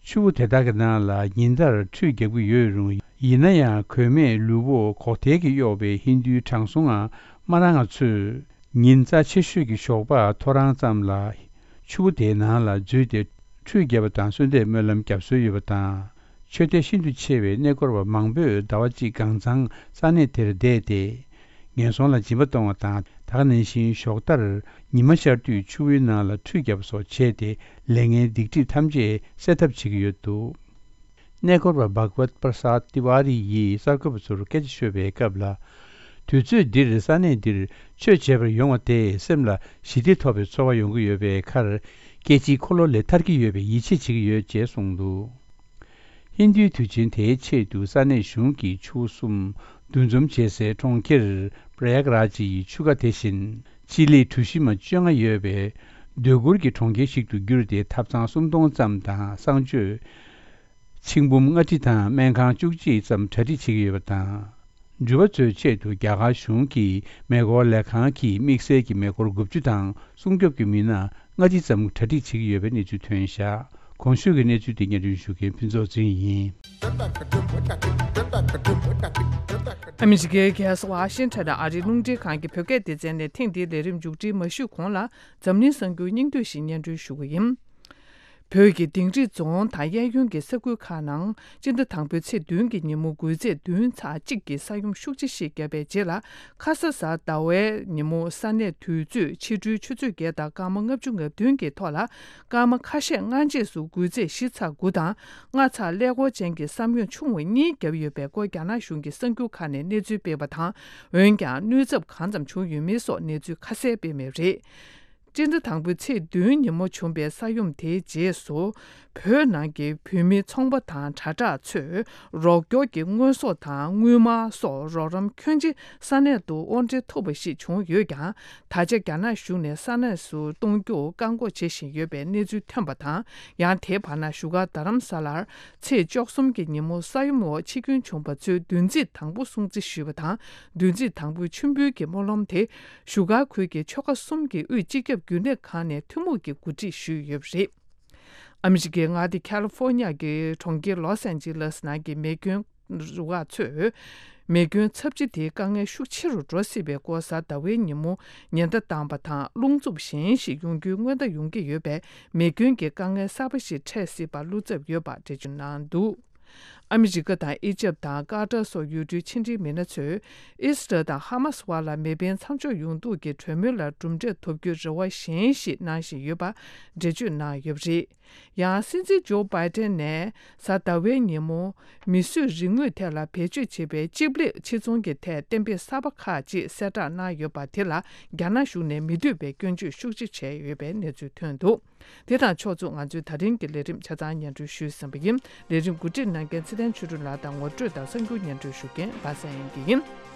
ཆུ་བོ་དེ་དག་གི་ནང་ལ་ཉིན་ལྟར་ཁྲུས་རྒྱག་གི་ཡོད་རུང་། ཡིན་ན་ཡང་གོས་མེད་ལུས་པོ་གོག་ཐལ་གྱིས་གཡོགས་པའི་ཧིན་རྡུའི་དྲང་སྲོང་ངམ་མ་རང་ང་ཚོས་ཉིན་རྩ་ཆེ་ཤོས་ཀྱི་ཞོགས་པ་ཐོ་རངས་ཙམ་ལ་ཆུ་བོ་དེའི་ནང་ལ་འཛུལ་ཏེ་ཁྲུས་བརྒྱབ་པ་དང་གསོལ་འདེབས་སྨོན་ལམ་བརྒྱབ་སྲོལ་ཡོད་པ་དང་། ཆོས་དད་ཤིན་ཏུ་ཆེ་བའི་གནས་སྐོར་བ་མང་པོས་ཟླ་བ་གཅིག་གང་ཚང་ས་གནས་དེར་བསྡད་དེ། ངན་སོང་ལ་སྦྱིན་པ་གཏོང་བ་དང་། ད་ག་ནང་བཞིན་ཞོགས་ལྟར་ཉི་མ་ཤར་དུས་ཆུ་བོའི་ནང་ལ་ཁྲུས་བརྒྱབ་པ་སོགས་བྱས་ཏེ། ལས་ངན་སྡིག་སྒྲིབ་ཐམས་ཅད་སེལ་ཐབས་བྱེད་ཀྱི་ཡོད་འདུག་གནས་སྐོར་བ་བྷག་ཝད་པྲ་སཱད་ཏི་ཝཱ་རི་ཡིས་གསར་འགོད་པ་ཚོར་སྐད་ཆ་ཤོད་པའི་སྐབས་ལ། དུས་ཚོད་འདིར་ས་གནས་འདིར་ཆོས་བྱེད་པར་ཡོང་བ་དེས་སེམས་ལ་ཞི་བདེ་ཐོབ་པའི་ཚོར་བ་ཡོང་གི་ཡོད་པའི་ཁར། སྐྱེ་འཆིའི་འཁོར་ལོ་ལས་ཐར་གྱི་ཡོད་པའི་ཡིད་ཆེས་བྱེད་ཀྱི་ཡོད་ཅེས་གསུངས་འདུག་ཧིན་རྡུའི་དུས་ཆེན་དེའི་ཆེད་དུ་ས་གནས་གཞུང་གིས་ཆུ་བོ་གསུམ་འདུ་འཛོམས་བྱེད་སའི་གྲོང་ཁྱེར་པྲ་ཡཱཀ་རཱཇ་ཡི་ཆུ་ཁ་དེ་བཞིན་སྤྱི་ལེ་གྲུ་བཞི་མ་བཅོ་ལྔ་ཡོད་པའི་སྡོད་གུར་གྱི་གྲོང་ཁྱེར་ཞིག་ཏུ་བསྒྱུར་ཏེ། ཐབ་ཚང་སུམ་སྟོང་ཙམ་དང་གསང་སྤྱོད་ཆིག་འབུམ་ལྔ་ཁྲི་དང་སྨན་ཁང་བཅུ་གཅིག་ཙམ་གྲ་སྒྲིག་བྱེད་ཀྱི་ཡོད་པ་དང་། འགྲུལ་པ་ཚོའི་ཆེད་དུ་རྒྱ་གར་གཞུང་གི་མེ་འཁོར་ལས་ཁང་གིས་དམིགས་བསལ་གྱི་མེ་འཁོར་དགུ་བཅུ་དང་སྲུང་སྐྱོབ་ཀྱི་མི་སྣ་ལྔ་ཁྲི་ཙམ་གྲ་སྒྲིག་བྱེད་ཀྱི་ཡོད་པའི་གནས་ཚུལ་ཐོན་བཞག་གོང་ཞུས་ཀྱི་གནས་ཚུལ་དེ་སྙན་སྒྲོན་ཞུ་མཁན་ཕུན་ཚོགས་ཚེ་རིང་ཡིན། ཨ་མི་རི་ཀའི་རྒྱལ་ས་ཝ་ཤིང་ཊོན་ཨ་རིའི་རླུང་འཕྲིན་ཁང་གི་བོད་སྐད་སྡེ་ཚན་ནས་ཐེངས་འདིའི་ལས་རིམ་མཇུག་སྒྲིལ་མ་ཞུས་གོང་ལ། འཛམ་གླིང་གསར་འགྱུར་སྙིང་བསྡུས་ཤིག་སྙན་སྒྲོན་ཞུ་གི་ཡིན། བོད་ཀྱི་དིང་རི་རྫོང་དང་གཡས་གཡོན་གྱི་ས་ཁུལ་ཁག་ནང་སྤྱི་ཟླ་དང་པོའི་ཚེས་བདུན་གྱི་ཉིན་མོ་འགུལ་ཚད་བདུན་ཚེག་གཅིག་གི་ས་ཡོམ་ཤུགས་ཆེ་ཞིག་བརྒྱབ་པའི་རྗེས་ལ། ཁ་ས་གཟའ་ཟླ་བའི་ཉིན་མོ་ས་གནས་དུས་ཚོད་ཕྱི་དྲོའི་ཆུ་ཚོད་བརྒྱད་དང་སྐར་མ་ལྔ་བཅུ་ང་བདུན་གྱི་ཐོག་ལ། སྐར་མ་ཁ་ཤས་སྔ་རྗེས་སུ་འགུལ་ཚད་བཞི་ཚེག་དགུ་དང་ལྔ་ཚེག་ཀླད་ཀོར་ཅན་གྱི་ས་ཡོམ་ཆུང་བ་གཉིས་བརྒྱབ་ཡོད་པའི་སྐོར་རྒྱ་ནག་གཞུང་གི་གསར་འགྱུར་ཁག་ནས་གནས་ཚུལ་སྤེལ་བ་དང་། འོན་ཀྱང་གནོད་ཚབས་གང་ཙམ་བྱུང་ཡོད་མེད་སོགས་གནས་ཚུལ་ཁ་གསལ་སྤེལ་མེད་པ་རེད། སྤྱི་ཟླ་དང་པོའི་ཚེས་བདུན་ཉིན་མོ་བྱུང་བའི་ས་ཡོམ་དེའི་རྗེས་སུ། བོད་ནང་གི་བོད་མི་ཚོང་པ་དང་དྲ་གྲགས་ཚོས་རོགས་སྐྱོར་གྱི་དངོས་ཟོག་དང་དངུལ་སྨར་སོགས་རོགས་རམ་ཁྱོན་ཆེ་ས་གནས་དུ་དབོར་འདྲེན་ཐུབ་པ་ཞིག་བྱུང་ཡོད་ཀྱང་། ད་ཆ་རྒྱ་ནག་གཞུང་ནས་ས་གནས་སུ་གཏོང་རྒྱུར་བཀག་འགོག་བྱེད་བཞིན་ཡོད་པའི་གནས་ཚུལ་ཐོན་པ་དང་། ཡང་དེའི་བར་ན་བཞུགས་སྒར་རྡ་རམ་ས་ལར་ཚེས་བཅུ་གསུམ་གྱི་ཉིན་མོ་ས་ཡོམ་འོག་འཆི་སྐྱོན་བྱུང་པ་ཚོའི་བདུན་ཚིགས་དང་པོ་སྲུང་བརྩི་ཞུས་པ་དང་། བདུན་ཚིགས་དང་པོའི་མཆོད་འབུལ་གྱི་སྨོན་ལམ་དེ། བཞུགས་སྒར་ཁུལ་གྱི་ཆོལ་ཁ་གསུམ་གྱི་དབུས་སྤྱི་ཁྱབ་རྒྱུན་ལས་ཁང་ནས་ཐུན་མོང་གིས་གོ་སྒྲིག་ཞུས་ཡོད་པ་རེད། ཨ་མི་རི་ཀའི་མངའ་སྡེ་ཁ་ལི་ཧྥོར་ནི་ཡ་གི་གྲོང་ཁྱེར་ལོས་ཨན་ཇི་ལེས་ནང་གི་མེ་སྐྱོན་རུ་ཁག་ཚོས། མེ་སྐྱོན་ཚབས་ཆེ་དེའི་དཀའ་ངལ་ཤུགས་ཆེ་རུ་འགྲོ་སྲིད་པའི་སྐོར་གཟའ་ཟླ་བའི་ཉིན་མོ་ཉེན་བརྡ་བཏང་པ་དང་། རླུང་འཚུབ་གཞན་ཞིག་ཡོང་རྒྱུའི་སྔོན་བརྡ་ཡོང་གི་ཡོད་པས། མེ་སྐྱོན་གྱི་དཀའ་ངལ་གསར་པ་ཞིག་འཕྲད་སྲིད་པར་བློ་འཚབ་ཡོད་པ་འགྲེལ་བརྗོད་གནང་འདུག་ཨ་མི་རི་ཀ་དང་ཨི་ཇེབ་དང་ཀ་ཏར་སོགས་ཡུལ་གྲུའི་ཕྱི་འབྲེལ་མི་སྣ་ཚོས། ཨི་སི་རལ་དང་ཧ་མ་སི་བར་ལ་མེ་འཕེན་མཚམས་འཇོག་ཡོང་ཐབས་ཀྱི་གྲོས་མོལ་ལ་གྲུབ་འབྲས་ཐོབ་རྒྱུའི་རེ་བ་གཞན་ཞིག་གནང་བཞིན་ཡོད་པ་འགྲེལ་བརྗོད་གནང་ཡོད་པ་རེད། ཡང་སྲིད་འཛིན་ཇོ་བྷའི་ཏན་ནས་གཟའ་ཟླ་བའི་ཉིན་མོ། མིས་བཟོས་རིག་དངོས་ཐད་ལ་བེད་སྤྱོད་བྱེད་པའི་ཅིབ་ལེབ་ཕྱིར་ཚོང་གི་ཐད་གཏན་འབེབས་གསར་པ་ཁག་ཅིག་གསལ་བསྒྲགས་གནང་ཡོད་པ་དེ་ལ་རྒྱ་ནག་གཞུང་ནས་མི་འདོད་པའི་སྐྱོན་བརྗོད་ཤུགས་ཆེ་བྱས་ཡོད་པའི་གནས་ཚུལ་ཐོན་འདུག་དེ་དང་ཕྱོགས་མཚུངས་ང་ཚོའི་ད་རིང་གི་ལས་རིམ་ཆ་ཚང་སྙན་སྒྲོན་ཞུས་ཟིན་པ་ཡིན། ལས་རིམ་གོ་སྒྲིག་གནང་མཁན་ཚེ་བརྟན་ཆོས་སྒྲོན་ལགས་དང་ངོ་སྤྲོད་དང་གསར་འགྱུར་སྙན་སྒྲོན་ཞུ་མཁན་པ་སངས་དབྱངས་སྐྱིད་ཡིན།